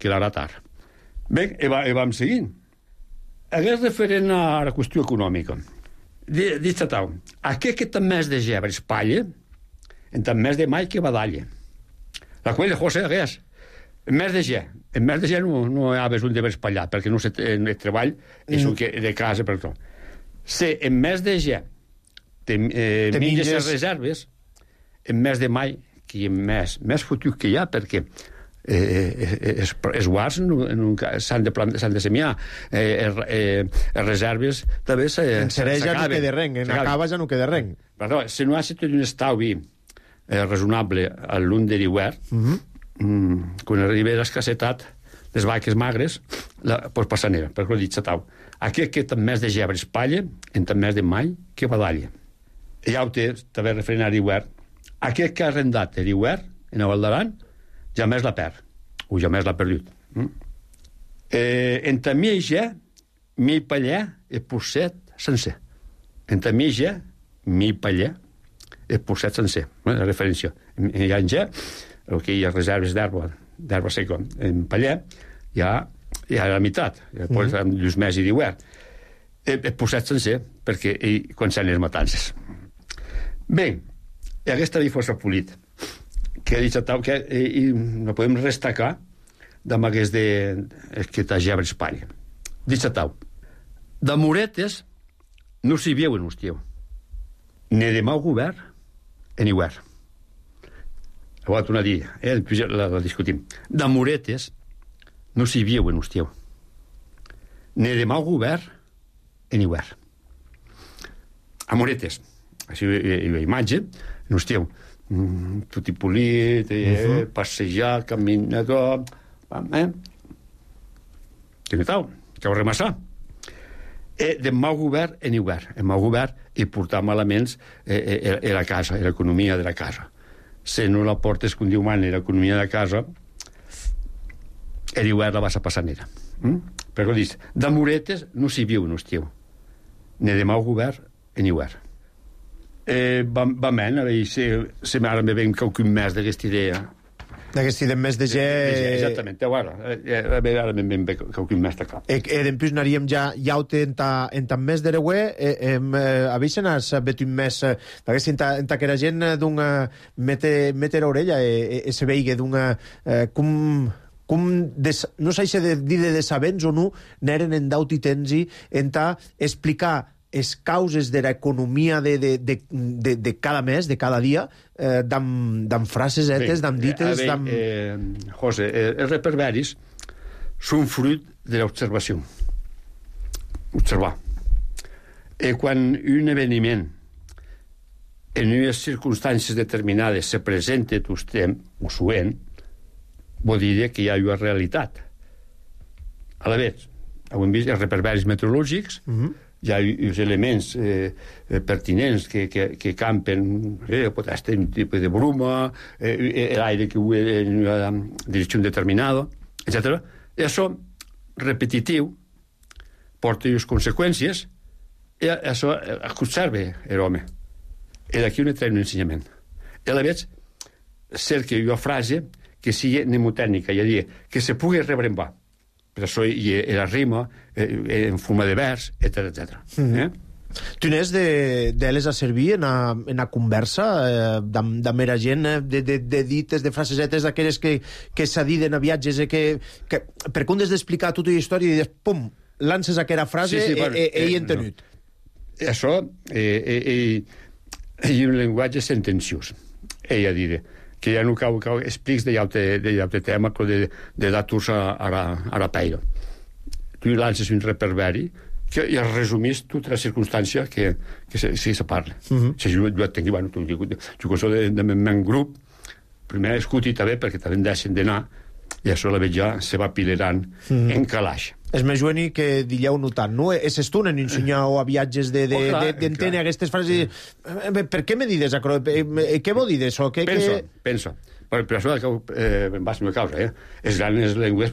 que l'harà tard. Bé, vam seguint. Hagués referent a la qüestió econòmica. Dice tau, aquest que també és de gebre espatlla, en també és de mai que badalla. La qual de José hagués. En mes de ge no hi ha un de espatllat, perquè no el treball és un que de casa, per tot. Si en mes de ge menges les reserves, en mes de mai, que hi ha més futur que hi ha, perquè els guards s'han de semiar, les reserves també en serè ja no queda res, en acaba ja no queda res. Si no ha estat un estalvi raonable a l'un de l'hivern, quan arriba l'escassetat les vaques magres, doncs passa nera, perquè ho he dit satau. Aquest que també és de gebre espatlla, en també és de mai que badalla. I ja ho té, també referent a l'hivern. Aquest que ha arrendat l'hivern, en el Val d'Aran, ja més la perd, o ja més l'ha perdut. En també ja, mi paller, el posset sencer. En també ja, mi paller, el posset sencer. La referència. Hi ha en ja, el que hi ha reserves d'herba seca en paller, hi ha la meitat, després dels mesos d'hivern. El posset sencer, perquè quan s'han les matances. Bé, aquesta força polit, que ha dit que no podem destacar d'amb aquest que t'ha gebre Espanya. Dit tau, de moretes no s'hi viu en hostieu, ni de mau govern en hivern. Ho va tornar a dir, la discutim. De moretes no s'hi viu en hostieu, ni de mau govern en hivern. A moretes, així la imatge, en hostieu, tot i polit, passejar, caminador, que no tal, que ho remassar. De mau govern en hivern. En mau govern i portar malaments a la casa, a l'economia de la casa. Si no la portes com diu man, l'economia de casa, l'hivern la vas a passar nera. Però dius, de moretes no s'hi viu en hostieu, ni de mau govern en hivern. Va men, a veure si ara me veiem qualcun més d'aquesta idea. D'aquesta idea més de gent... Exactament, ara me veiem qualcun més de cap. Dempús anaríem ja en tan més d'ereuè, avisen has vetut més, perquè en aquella gent meter l'orella se veiga d'una... no sé si dir de sabents o no, n'eren en daut i tensi en explicar les causes de l'economia de cada mes, de cada dia, d'amb frases etes, d'amb dites... José, els reperberis són fruit de l'observació. Observar. Quan un eveniment en unes circumstàncies determinades se presenta tostem, o suent, vol dir que hi ha una realitat. A la vegada, hem vist els reperberis meteorològics, hi ha els elements pertinents que campen, pot estar un tipus de bruma, l'aire que va en una direcció determinada, etc. I això, repetitiu, porta unes conseqüències, i això observa l'home. I d'aquí un trae un ensenyament. I a la vegada, cerca una frase que sigui mnemotècnica, és a dir, que se pugui rebrembar. Per això hi ha la rima, en forma de vers, etc. Tu n'és d'elles a servir en a conversa de mera gent, de dites, de frasesetes d'aquelles que s'adiden a viatges, per com has d'explicar tota la història i dius, pum, lances aquella frase i entenut. Això és un llenguatge sentenciós. Ella diré que ja no cau explics d'altre tema, però de datos a la peira. Tu lances un reperberi i resumís tota la circumstància que se parla. Si jo et tinc, jo que soc del meu grup, primer escuti també, perquè també em deixen d'anar, i això la veig ja se va pilerant en calaix. és més jueni que dilleu notant, no? És estuna en ensenyar a viatges d'entendre aquestes frases. Per què me dides això? Què vol dir d'això? Pensa. Per això em vas a la causa, les grans llengües,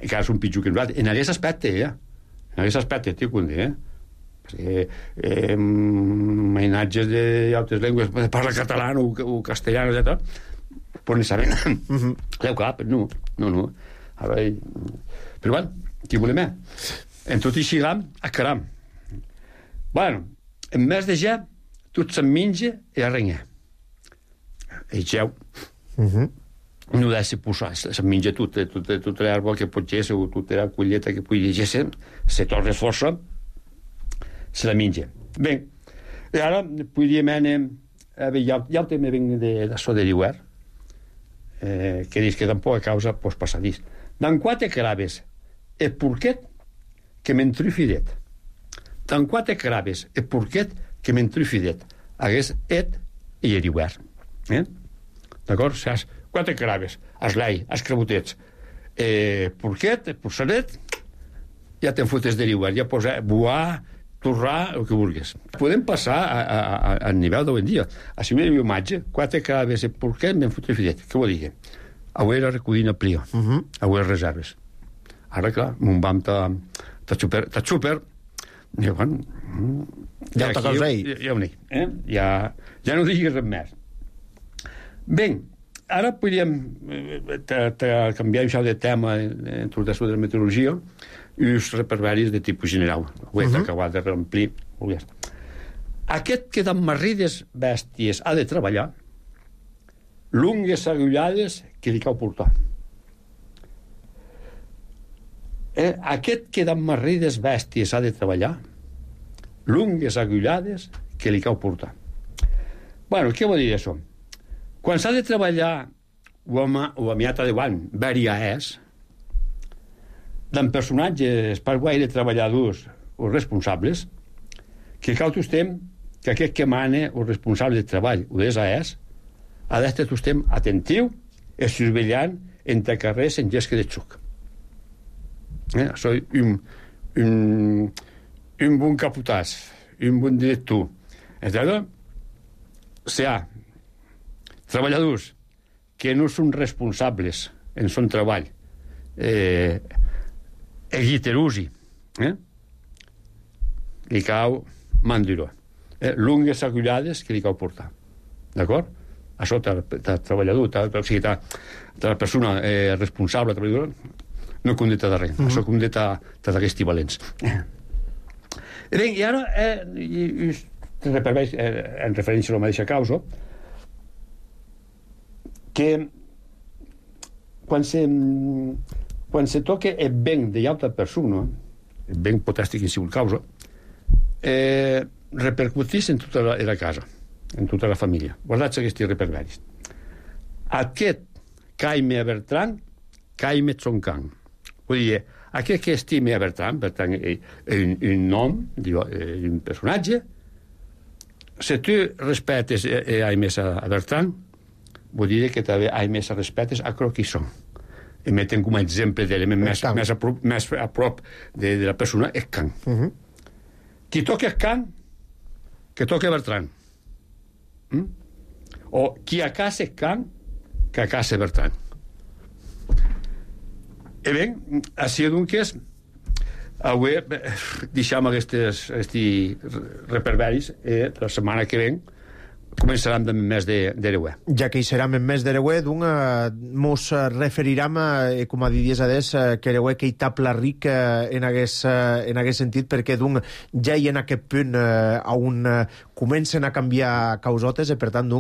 encara són pitjor que nosaltres. En aquest aspecte, en aquest aspecte, t'ho vull dir, perquè mainatges d'altres llengües, parla català o castellà, etc., però no saben. Leu cap, no. Però bueno, qui volem? En tot i xigam, a caram. Bueno, en més de ja, tot se'n menja i arrenga. I geu. No deve ser posar, se'n menja tota l'herba que pot ser, o tota la colleta que pugui llegir, se torna força, se la menja. Bé, i ara podríem anar... Ja el tema venc d'això de l'hivern, que dius que tampoc a causa pues, passadís. Dan quatre craves, el porquet que m'entrufidet. Dan quatre craves, el porquet que m'entrufidet. Hagués et i l'hivern. D'acord? Saps? Quatre craves, eslai, escrebotets. Porquet, porçalet, ja te'n fotes de l'hivern, ja posa buar, torrar, el que vulguis. Podem passar al nivell d'avui en dia. Així m'he imatge, quatre craves, porquet, m'hem fotut fidet. Què vol dir? Avui era recollint el plio, avui reserves. Ara, clar, mon vam ta xúper, i bueno... Ja ho t'acabes ahir. Ja ho dic, ja no diguis res més. Bé, ara podríem canviar això de tema en tot això de la meteorologia i els reperberis de tipus general. Ho he acabat de reomplir. Aquest que d'emmarrides bèsties ha de treballar, lungues agullades que li cau portar. Aquest que d'emmarrides bèsties ha de treballar, lungues agullades que li cau portar. Bueno, què vol dir això? Quan s'ha de treballar o amiata de guany, varia és, d'en personatges per guai de treballadors o responsables, que cau tostem que aquest que mana o responsable de treball o d'esa és, ha d'estar tostem atentiu i surveillant entre carrers en gesca de xuc. Soy un bon caputàs, un bon director. Entonces, sea treballadors que no són responsables en son treball, egiterusi, li cau mandiró. Lungues agullades que li cau portar. D'acord? Això del treballador, o sigui, de la persona responsable, treballadora, no condeta de res. Això condeta d'aquests valents. Bé, i ara, en referència a la mateixa causa, que quan se toca el ben de l'altra persona, el ben potestic en sigut causa, repercutís en tota la casa, en tota la família. Guardats aquests reperberis. Aquest caime a Bertran, caime Tsonkan. Vull dir, aquest que estime a Bertran un nom, un personatge, si tu respetes a més a Bertran, vull dir que també hi més respetes a qui són. I meten com a exemple d'element més a prop de la persona és Can. Qui toca Can, que toca Bertran. O qui a casa Can, que a casa Bertran. I bé, així doncs, avui deixem aquests reperberis la setmana que ven començaran en mes d'Ereuer. Ja que hi serem en mes d'Ereuer, mos referirem, com a diries adés, que Ereuer que hi tapla ric en aquest sentit, perquè ja hi en aquest punt on comencen a canviar causotes, i per tant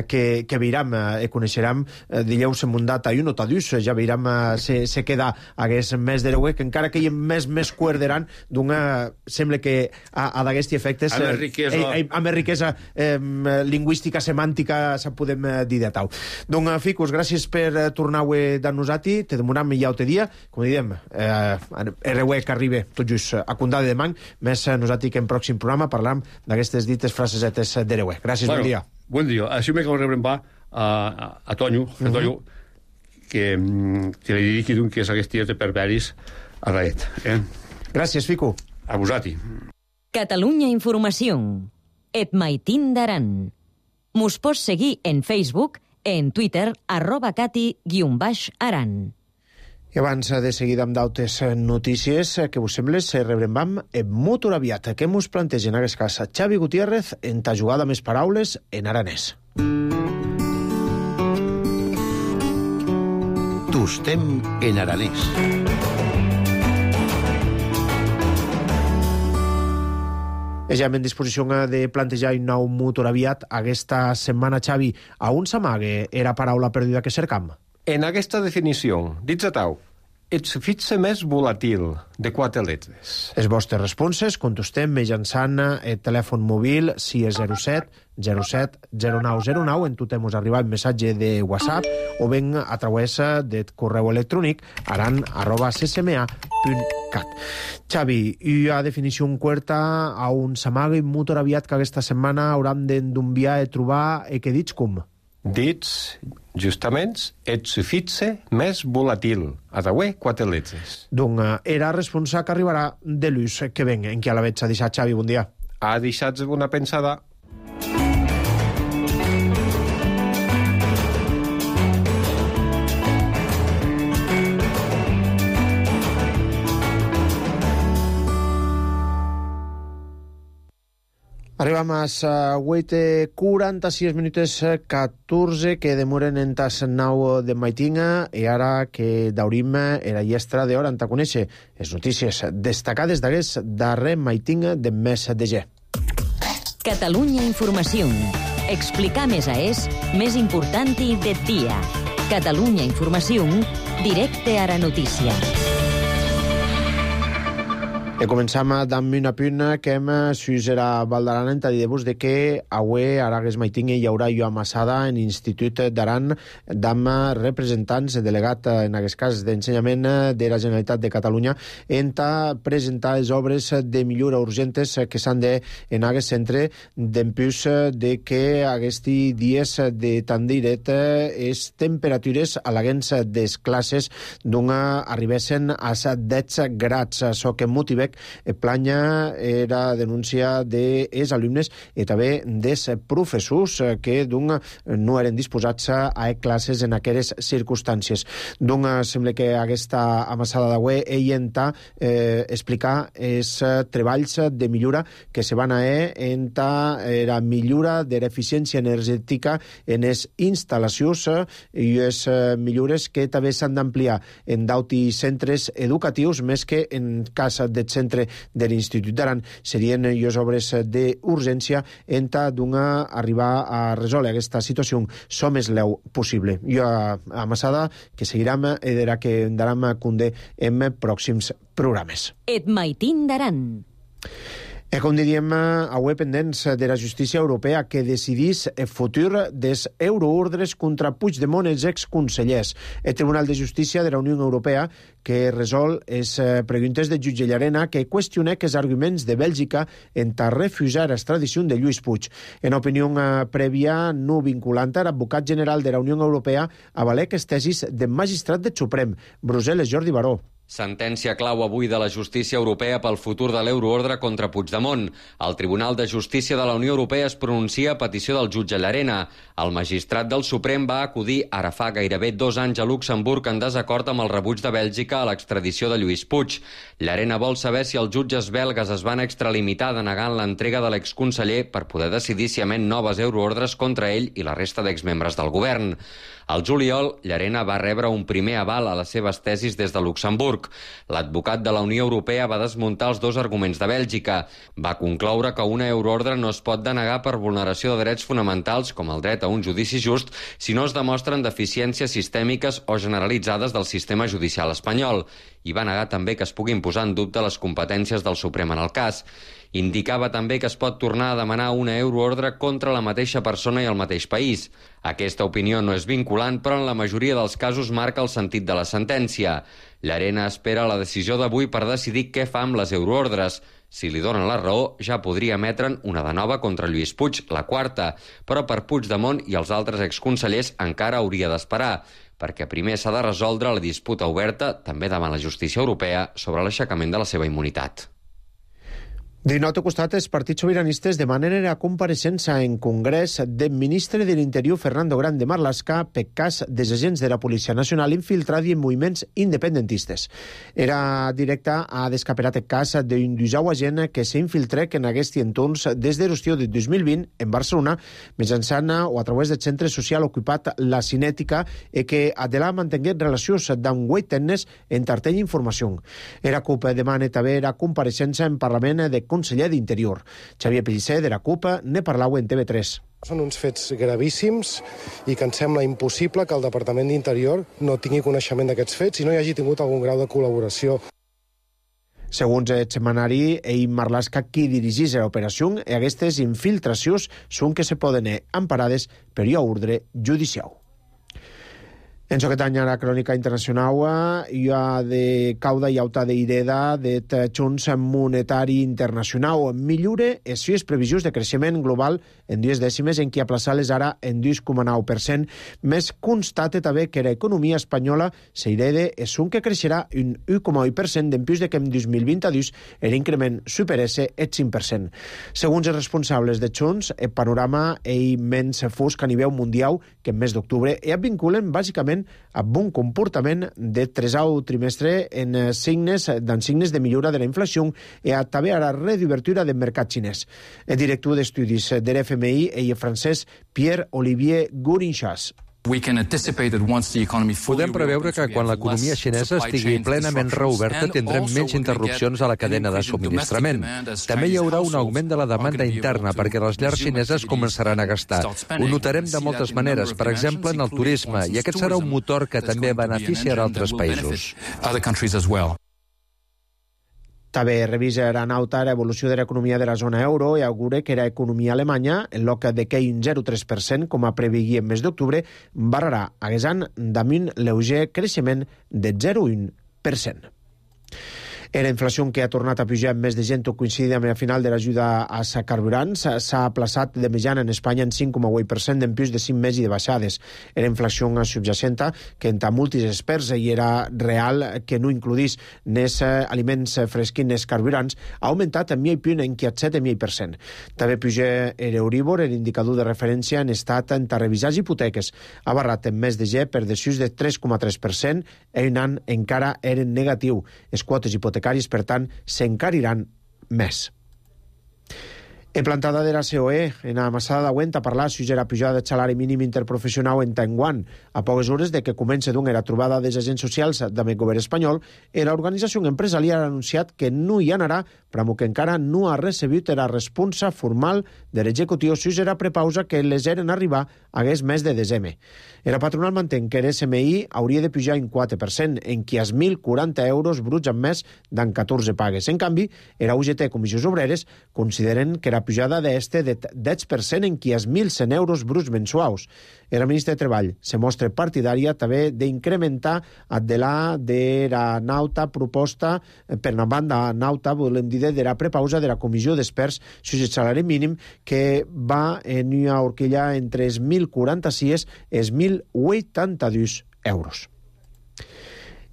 que veurem i coneixerem dilluns en un data i un otadús, ja veurem se queda aquest mes d'Ereuer, que encara que hi ha més cuerderan, sembla que a d'aquests efectes amb més riquesa lingüística, semàntica, se podem dir de tau. Doncs, Ficus, gràcies per tornar avui de nosaltres, te demoram ja altre dia, com diem, Ereuer que arriba tot just a Condà de Demany, més nosaltres que en pròxim programa parlam d'aquestes dites frasesetes d'Ereuer. Gràcies, bon dia. Bon dia. Així m'he de rebrembar a Tonyo, que li dediqui que és aquests dies de perveris Arraet. Gràcies, Fico. A vosati. Catalunya Informació. Et maitin d'aran. Mos pots seguir en Facebook, en Twitter, @cati_aran. I abans de seguir amb d'altres notícies, que vos sembles, rebrem molt aviat. Què mos plantegen en aquest cas Xavi Gutiérrez en ta jugada més paraules en aranès. Tostem en aranès. Ja en disposició de plantejar un nou motor aviat aquesta setmana, Xavi. A on s'amaga era paraula perduda que cercam? En aquesta definició, dits a tau, et sufixe més volatil, de 4 lletres. Les vostres responses contestem mitjançant el telèfon mòbil 607 07 0909, en tot hemos arribat un missatge de WhatsApp o ben a través del correu electrònic aran@ccma.cat. Xavi, i a definició curta a un s'amaga un motor aviat que aquesta setmana hauran d'enviar i trobar que dits com? Dits, justament, et sufixe més volatil. A tauer 4 lletres. Donc, era responsable que arribarà de l'ús que ven. En què la veig a deixar, Xavi? Bon dia. Ha deixat una pensada. Arribam a 8:46 minuts 14 que demoren en tas 9 de maitinga i ara que daurim era llestra d'hora en ta conèixer les notícies destacades d'aquest darrer maitinga de mes de ge. Catalunya Informació. Explicar més més important del dia. Catalunya Informació, directe a la notícia. I començam amb una punt que hem suïsera Val d'Aran en dir-vos de que avui a Aragues Maitinga hi haurà jo amassada en l'Institut d'Aran d'amb representants, delegat en aquest cas d'ensenyament de la Generalitat de Catalunya en presentar les obres de millora urgentes que s'han de en aquest centre d'empús de que aquests dies de tan diret les temperatures a l'agents des classes arribessin a 10 grads, això que motiva planya era denúncia dels alumnes i també dels professors que no eren disposats a classes en aquelles circumstàncies. Sembla que aquesta amassada d'avui enta explicar els treballs de millora que se van en la millora de l'eficiència energètica en les instal·lacions i les millores que també s'han d'ampliar en d'altres centres educatius, més que en cas de centre de l'Institut d'Aran serien les obres d'urgència en arribar a resoldre aquesta situació som més leu possible. Jo amassada que seguirem i de que daram conde en pròxims programes. Et maitin d'Aran. Com diríem, avui pendents de la justícia europea que decidís el futur dels euroordres contra Puigdemont i els exconsellers. El Tribunal de Justícia de la Unió Europea que resol les preguntes de jutge Llarena que qüestiona els arguments de Bèlgica en refusar l'extradició de Lluís Puig. En opinió prèvia no vinculant, l'advocat general de la Unió Europea avalé les tesis del magistrat del Suprem, Brussel·les, Jordi Baró. Sentència clau avui de la justícia europea pel futur de l'euroordre contra Puigdemont. El Tribunal de Justícia de la Unió Europea es pronuncia a petició del jutge Llarena. El magistrat del Suprem va acudir ara fa gairebé 2 anys a Luxemburg en desacord amb el rebuig de Bèlgica a l'extradició de Lluís Puig. Llarena vol saber si els jutges belgues es van extralimitar denegant l'entrega de l'exconseller per poder decidir si emet noves euroordres contra ell i la resta d'exmembres del govern. Al juliol, Llarena va rebre un primer aval a les seves tesis des de Luxemburg. L'advocat de la Unió Europea va desmuntar els 2 arguments de Bèlgica. Va concloure que una euroordre no es pot denegar per vulneració de drets fonamentals, com el dret a un judici just, si no es demostren deficiències sistèmiques o generalitzades del sistema judicial espanyol. I va negar també que es puguin posar en dubte les competències del Suprem en el cas. Indicava també que es pot tornar a demanar una euroordre contra la mateixa persona i el mateix país. Aquesta opinió no és vinculant, però en la majoria dels casos marca el sentit de la sentència. Llarena espera la decisió d'avui per decidir què fa amb les euroordres. Si li donen la raó, ja podria emetre'n una de nova contra Lluís Puig, la 4, però per Puigdemont i els altres exconsellers encara hauria d'esperar. perquè primer s'ha de resoldre la disputa oberta, també davant la justícia europea, sobre l'aixecament de la seva immunitat. D'un altre costat, els partits sobiranistes demanen la compareixença en Congrés del ministre de l'Interior, Fernando Grande Marlaska, per cas dels agents de la Policia Nacional infiltrats en moviments independentistes. Era directe a descaperat el cas d'un dusau agent que s'infiltrà en aquests entorns des de l'estiu de 2020 en Barcelona, mitjançant o a través del centre social ocupat La Cinètica, i que Adela mantengué relacions d'en 8 anys en tartell informació. Era CUP demana també la compareixença en Parlament de conseller d'Interior. Xavier Pellicer, de la CUP, ne parlau en TV3. Són uns fets gravíssims i que ens sembla impossible que el Departament d'Interior no tingui coneixement d'aquests fets i no hi hagi tingut algun grau de col·laboració. Segons el setmanari, Marlaska qui dirigís l'operació i aquestes infiltracions són que se poden emparades per ordre judicial. En aquest any a la crònica internacional hi ha de cauda i auta d'ireda de Fons Monetari Internacional. Millora les seves previsions de creixement global en 2 dècimes, en què aplaçar-les ara en 2,9%. Més constate també que l'economia espanyola s'irede és un que creixerà un 1,8% d'empús de que en 2022 l'increment superesse el 5%. Segons els responsables de Fons, el panorama és menys fosc a nivell mundial que en mes d'octubre i es vinculen bàsicament a bon comportament de tresau trimestre en signes de millora de la inflació i a també a la reobertura del mercat xinès. El director d'estudis de l'FMI i el francès Pierre-Olivier Gourinchas. Podem preveure que quan l'economia xinesa estigui plenament reoberta tindrem menys interrupcions a la cadena de subministrament. També hi haurà un augment de la demanda interna perquè les llars xineses començaran a gastar. Ho notarem de moltes maneres, per exemple en el turisme, i aquest serà un motor que també beneficiarà altres països. També revisa l'anauta l'evolució de l'economia de la zona euro i augura que l'economia alemanya, en lloc de cair un 0,3%, com a preveia en mes d'octubre, barrarà aquest any damunt lleuger creixement de 0,1%. La inflació que ha tornat a pujar en més de gent coincidint amb la final de l'ajuda als carburants s'ha aplaçat de mitjana en Espanya en 5,8% d'empús de 5 mesos de baixades. La inflació subjacent que entre molts experts i era real que no includís nes aliments fresquins nes carburants ha augmentat en 0,5 punt en 7,5%. També puja l'Euribor, l'indicador de referència en estat en revisar hipoteques. Ha barrat en mes de per desús de 3,3% i un any encara eren negatiu. Les quotes hipotecàries, per tant, s'encariran més. En plantada de la COE, en la massada d'Aguent, a parlar si la pujada del salari mínim interprofessional en Taiwan. A poques hores de que comença la trobada dels agents socials del govern espanyol, l'organització empresarial ha anunciat que no hi anarà, però que encara no ha recebut la responsa formal de l'executiu si la prepausa que les eren arribar hagués mes de desembre. La patronal mantén que l'SMI hauria de pujar un 4%, en qui els 1.040 euros bruts en mes d'en 14 pagues. En canvi, la UGT i Comissions Obreres consideren que la pujada d'este de 10% en qui els 1.100 euros bruts mensuals. La ministra de Treball se mostra partidària també d'incrementar de la nauta proposta per una banda nauta, volem dir, de la prepausa de la comissió d'experts sobre el salari mínim que va en una horquilla entre els 1.046 i els 1.082 euros.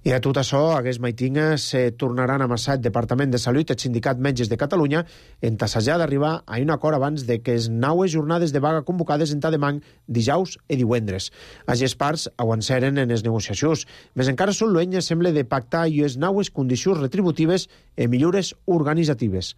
I a tot això, aquest matí se tornaran a amassar el Departament de Salut i el Sindicat Metges de Catalunya en tassejar d'arribar a un acord abans de que les 9 jornades de vaga convocades en Tademang dijous i divendres. Les parts avanceren en les negociacions, més encara són luenyes sembla de pactar i les 9 condicions retributives i millores organitzatives.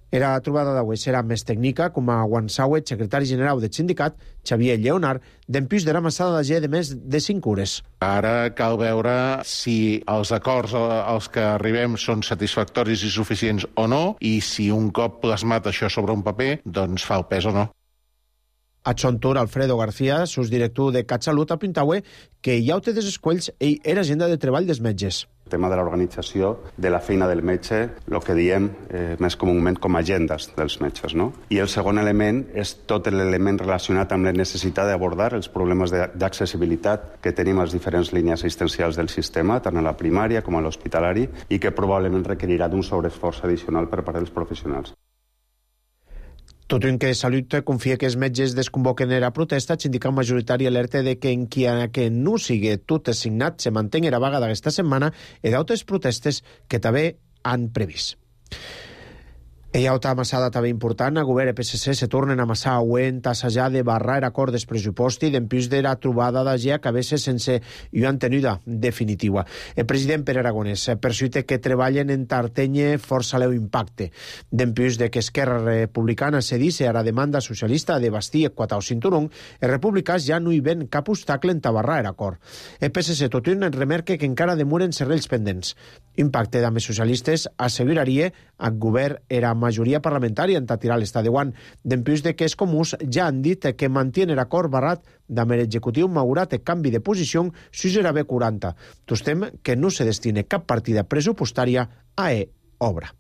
La trobada d'avui serà més tècnica, com a Guansauet, secretari general del sindicat, Xavier Lleonard, d'empús de la massada de més de 5 hores. Ara cal veure si els acords als que arribem són satisfactoris i suficients o no, i si un cop plasmat això sobre un paper, doncs fa el pes o no. A son torn, Alfredo García, subdirector de CatSalut, apuntava que hi ha des escolls i l'agenda de treball dels metges. El tema de l'organització de la feina del metge, el que diem més comúment com a agendes dels metges, no? I el segon element és tot l'element relacionat amb la necessitat d'abordar els problemes d'accessibilitat que tenim a les diferents línies assistencials del sistema, tant a la primària com a l'hospitalari, i que probablement requerirà d'un sobreesforç addicional per part dels professionals. Tot i que Salut confia que els metges desconvoquen la protesta, el sindicat majoritari alerta de que encara que no sigui tot assignat se mantingui la vaga d'aquesta setmana i d'altres protestes que també han previst. Hi ha altra amassada també important. A govern i PSC se tornen a amassar oent assajar de barrar l'acord dels pressuposti d'empús de la trobada d'AGEA que a vegades sense una tenuda definitiva. El president Pere Aragonès persuite que treballen en tartenye força leu impacte. D'empús de que Esquerra Republicana cedisse a la demanda socialista de bastir quatar o cinturón, els republicans ja no hi ven cap obstacle en tabarrar l'acord. El PSC tot un remarca que encara demoren serrells pendents. Impacte d'ame socialistes asseguraria al govern era majoria parlamentària en tirar l'estat de guant, d'empús de que els comuns ja han dit que mantiene l'acord barrat d'amb l'executiu malgrat el canvi de posició si serà B40. Tostem que no se destine cap partida pressupostària a obra.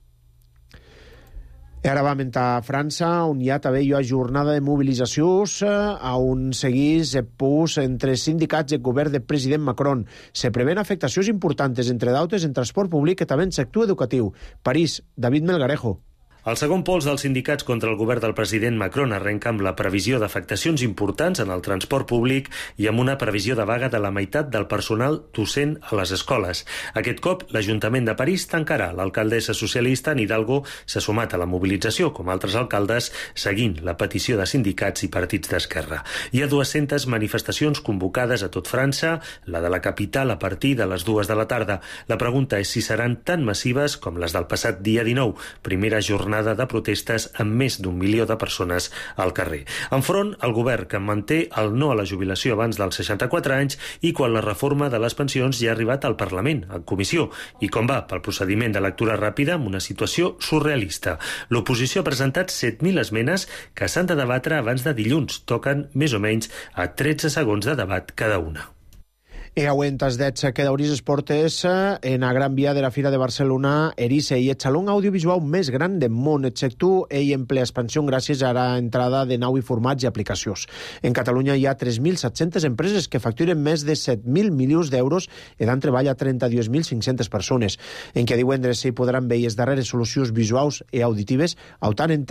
I ara vam a França, on hi ha també una jornada de mobilitzacions on seguís pus entre sindicats i el govern del president Macron. Se prevén afectacions importants, entre d'altres, en transport públic i també en sector educatiu. París, David Melgarejo. El segon pols dels sindicats contra el govern del president Macron arrenca amb la previsió d'afectacions importants en el transport públic i amb una previsió de vaga de la meitat del personal docent a les escoles. Aquest cop, l'Ajuntament de París tancarà. L'alcaldessa socialista Anne Hidalgo s'ha sumat a la mobilització, com altres alcaldes, seguint la petició de sindicats i partits d'esquerra. Hi ha 200 manifestacions convocades a tot França, la de la capital a partir de les 2 de la tarda. La pregunta és si seran tan massives com les del passat dia 19, primera jornada de protestes amb més d'1 milió de persones al carrer. Enfront, el govern que manté el no a la jubilació abans dels 64 anys i quan la reforma de les pensions ja ha arribat al Parlament, en comissió, i com va pel procediment de lectura ràpida amb una situació surrealista. L'oposició ha presentat 7.000 esmenes que s'han de debatre abans de dilluns. Toquen més o menys a 13 segons de debat cada una. I auent els dets que d'obrir les portes en la Gran Via de la Fira de Barcelona, Erice i el saló audiovisual més gran del món, exceptu ell en ple expansió gràcies a la entrada de nou i formats i aplicacions. En Catalunya hi ha 3.700 empreses que facturen més de 7.000 milions d'euros i dan treball a 32.500 persones. En què divendres s'hi podran veure les darreres solucions visuals i auditives, tant en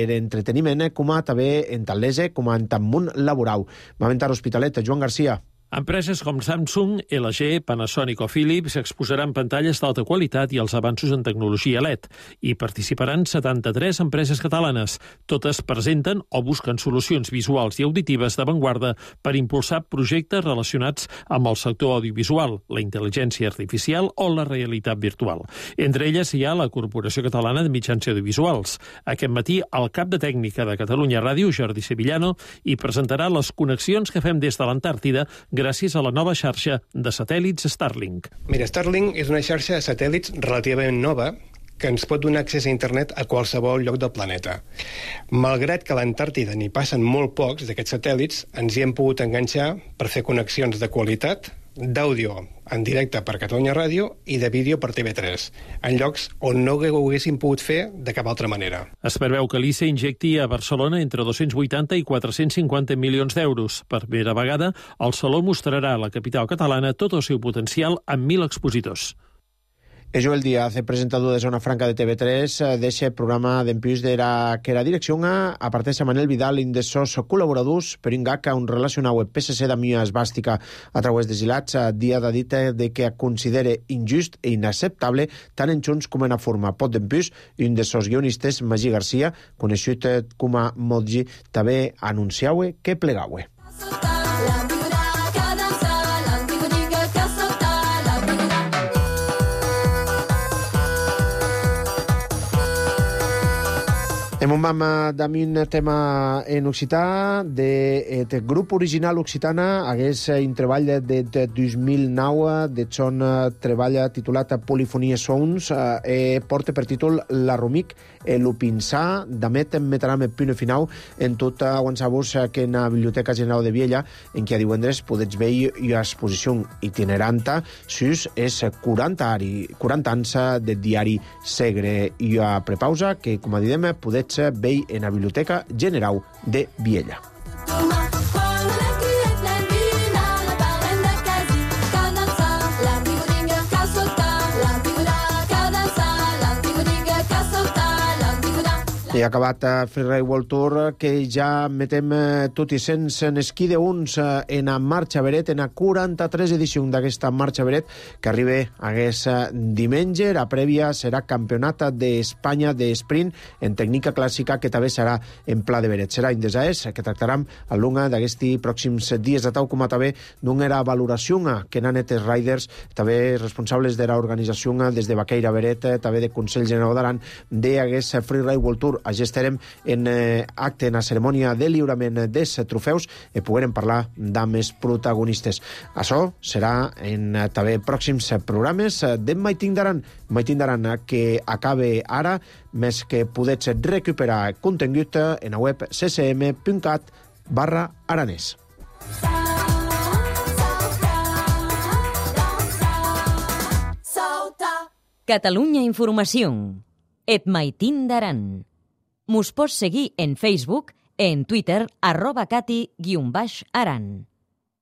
l'entreteniment com a també en l'ESE com en el món laboral. Va aventar Hospitalet, Joan Garcia. Empreses com Samsung, LG, Panasonic o Philips exposaran pantalles d'alta qualitat i els avanços en tecnologia LED. Hi participaran 73 empreses catalanes. Totes presenten o busquen solucions visuals i auditives d'avantguarda per impulsar projectes relacionats amb el sector audiovisual, la intel·ligència artificial o la realitat virtual. Entre elles hi ha la Corporació Catalana de Mitjans Audiovisuals. Aquest matí, el cap de tècnica de Catalunya Ràdio, Jordi Sevillano, hi presentarà les connexions que fem des de l'Antàrtida gràcies a la nova xarxa de satèl·lits Starlink. Mira, Starlink és una xarxa de satèl·lits relativament nova que ens pot donar accés a internet a qualsevol lloc del planeta. Malgrat que a l'Antàrtida n'hi passen molt pocs d'aquests satèl·lits, ens hi hem pogut enganxar per fer connexions de qualitat d'àudio en directe per Catalunya Ràdio i de vídeo per TV3, en llocs on no ho haguéssim pogut fer de cap altra manera. Es preveu que l'ICE injecti a Barcelona entre 280 i 450 milions d'euros. Per primera vegada, el Saló mostrarà a la capital catalana tot el seu potencial amb 1.000 expositors. Joel Díaz, el presentador de Zona Franca de TV3, deixa el programa d'empús de que la direcció aparteix a Manel Vidal i de sos col·laboradors per un gag on relacionau el PSC d'Amià Esbàstica a través de Gilats. Díaz ha dit de que considera injust i inacceptable tant en Junts com en la forma. Pot d'empús i un de sos guionistes, Magí Garcia, coneixut com a Modgi, també anunciau que plegau. Hem un vam d'un tema en occità del grup original occitana hagués un treball de 2009 de son treball titulat Polifonia Sounds porta per títol La Rumic l'Upinsà d'amet metram el punt final en tot aguançar-vos que en la Biblioteca General de Viella en què a divendres podets veure una exposició itineranta sus és 40 anys del diari Segre i a prepausa que com a didem podets veure en la Biblioteca General de Viella. I ha acabat Freeride World Tour, que ja metem tot i sense en esquí de uns en a marxa Beret, en a 43 edició d'aquesta marxa Beret, que arriba aquest diumenge. La prèvia serà Campionat d'Espanya d'Esprint en tècnica clàssica, que també serà en pla de Beret. Serà Indesaes, que tractarem a l'unga d'aquests pròxims dies, de tau com a també d'una era valoració que n'han els riders, també responsables de l'organització des de Baqueira Beret, també de Consell General d'Aran, d'aquest Freeride World Tour. Allí estarem en acte, en la cerimònia de lliurament dels trofeus, i poguerem parlar amb els protagonistes. Això serà en també pròxims programes de Maitin d'Aran, que acabe ara, més que podets recuperar contingut en la web ccm.cat/aranès. Catalunya Informació. Et Maitin d'Aran. Mos pots seguir en Facebook, en Twitter, @cati_aran.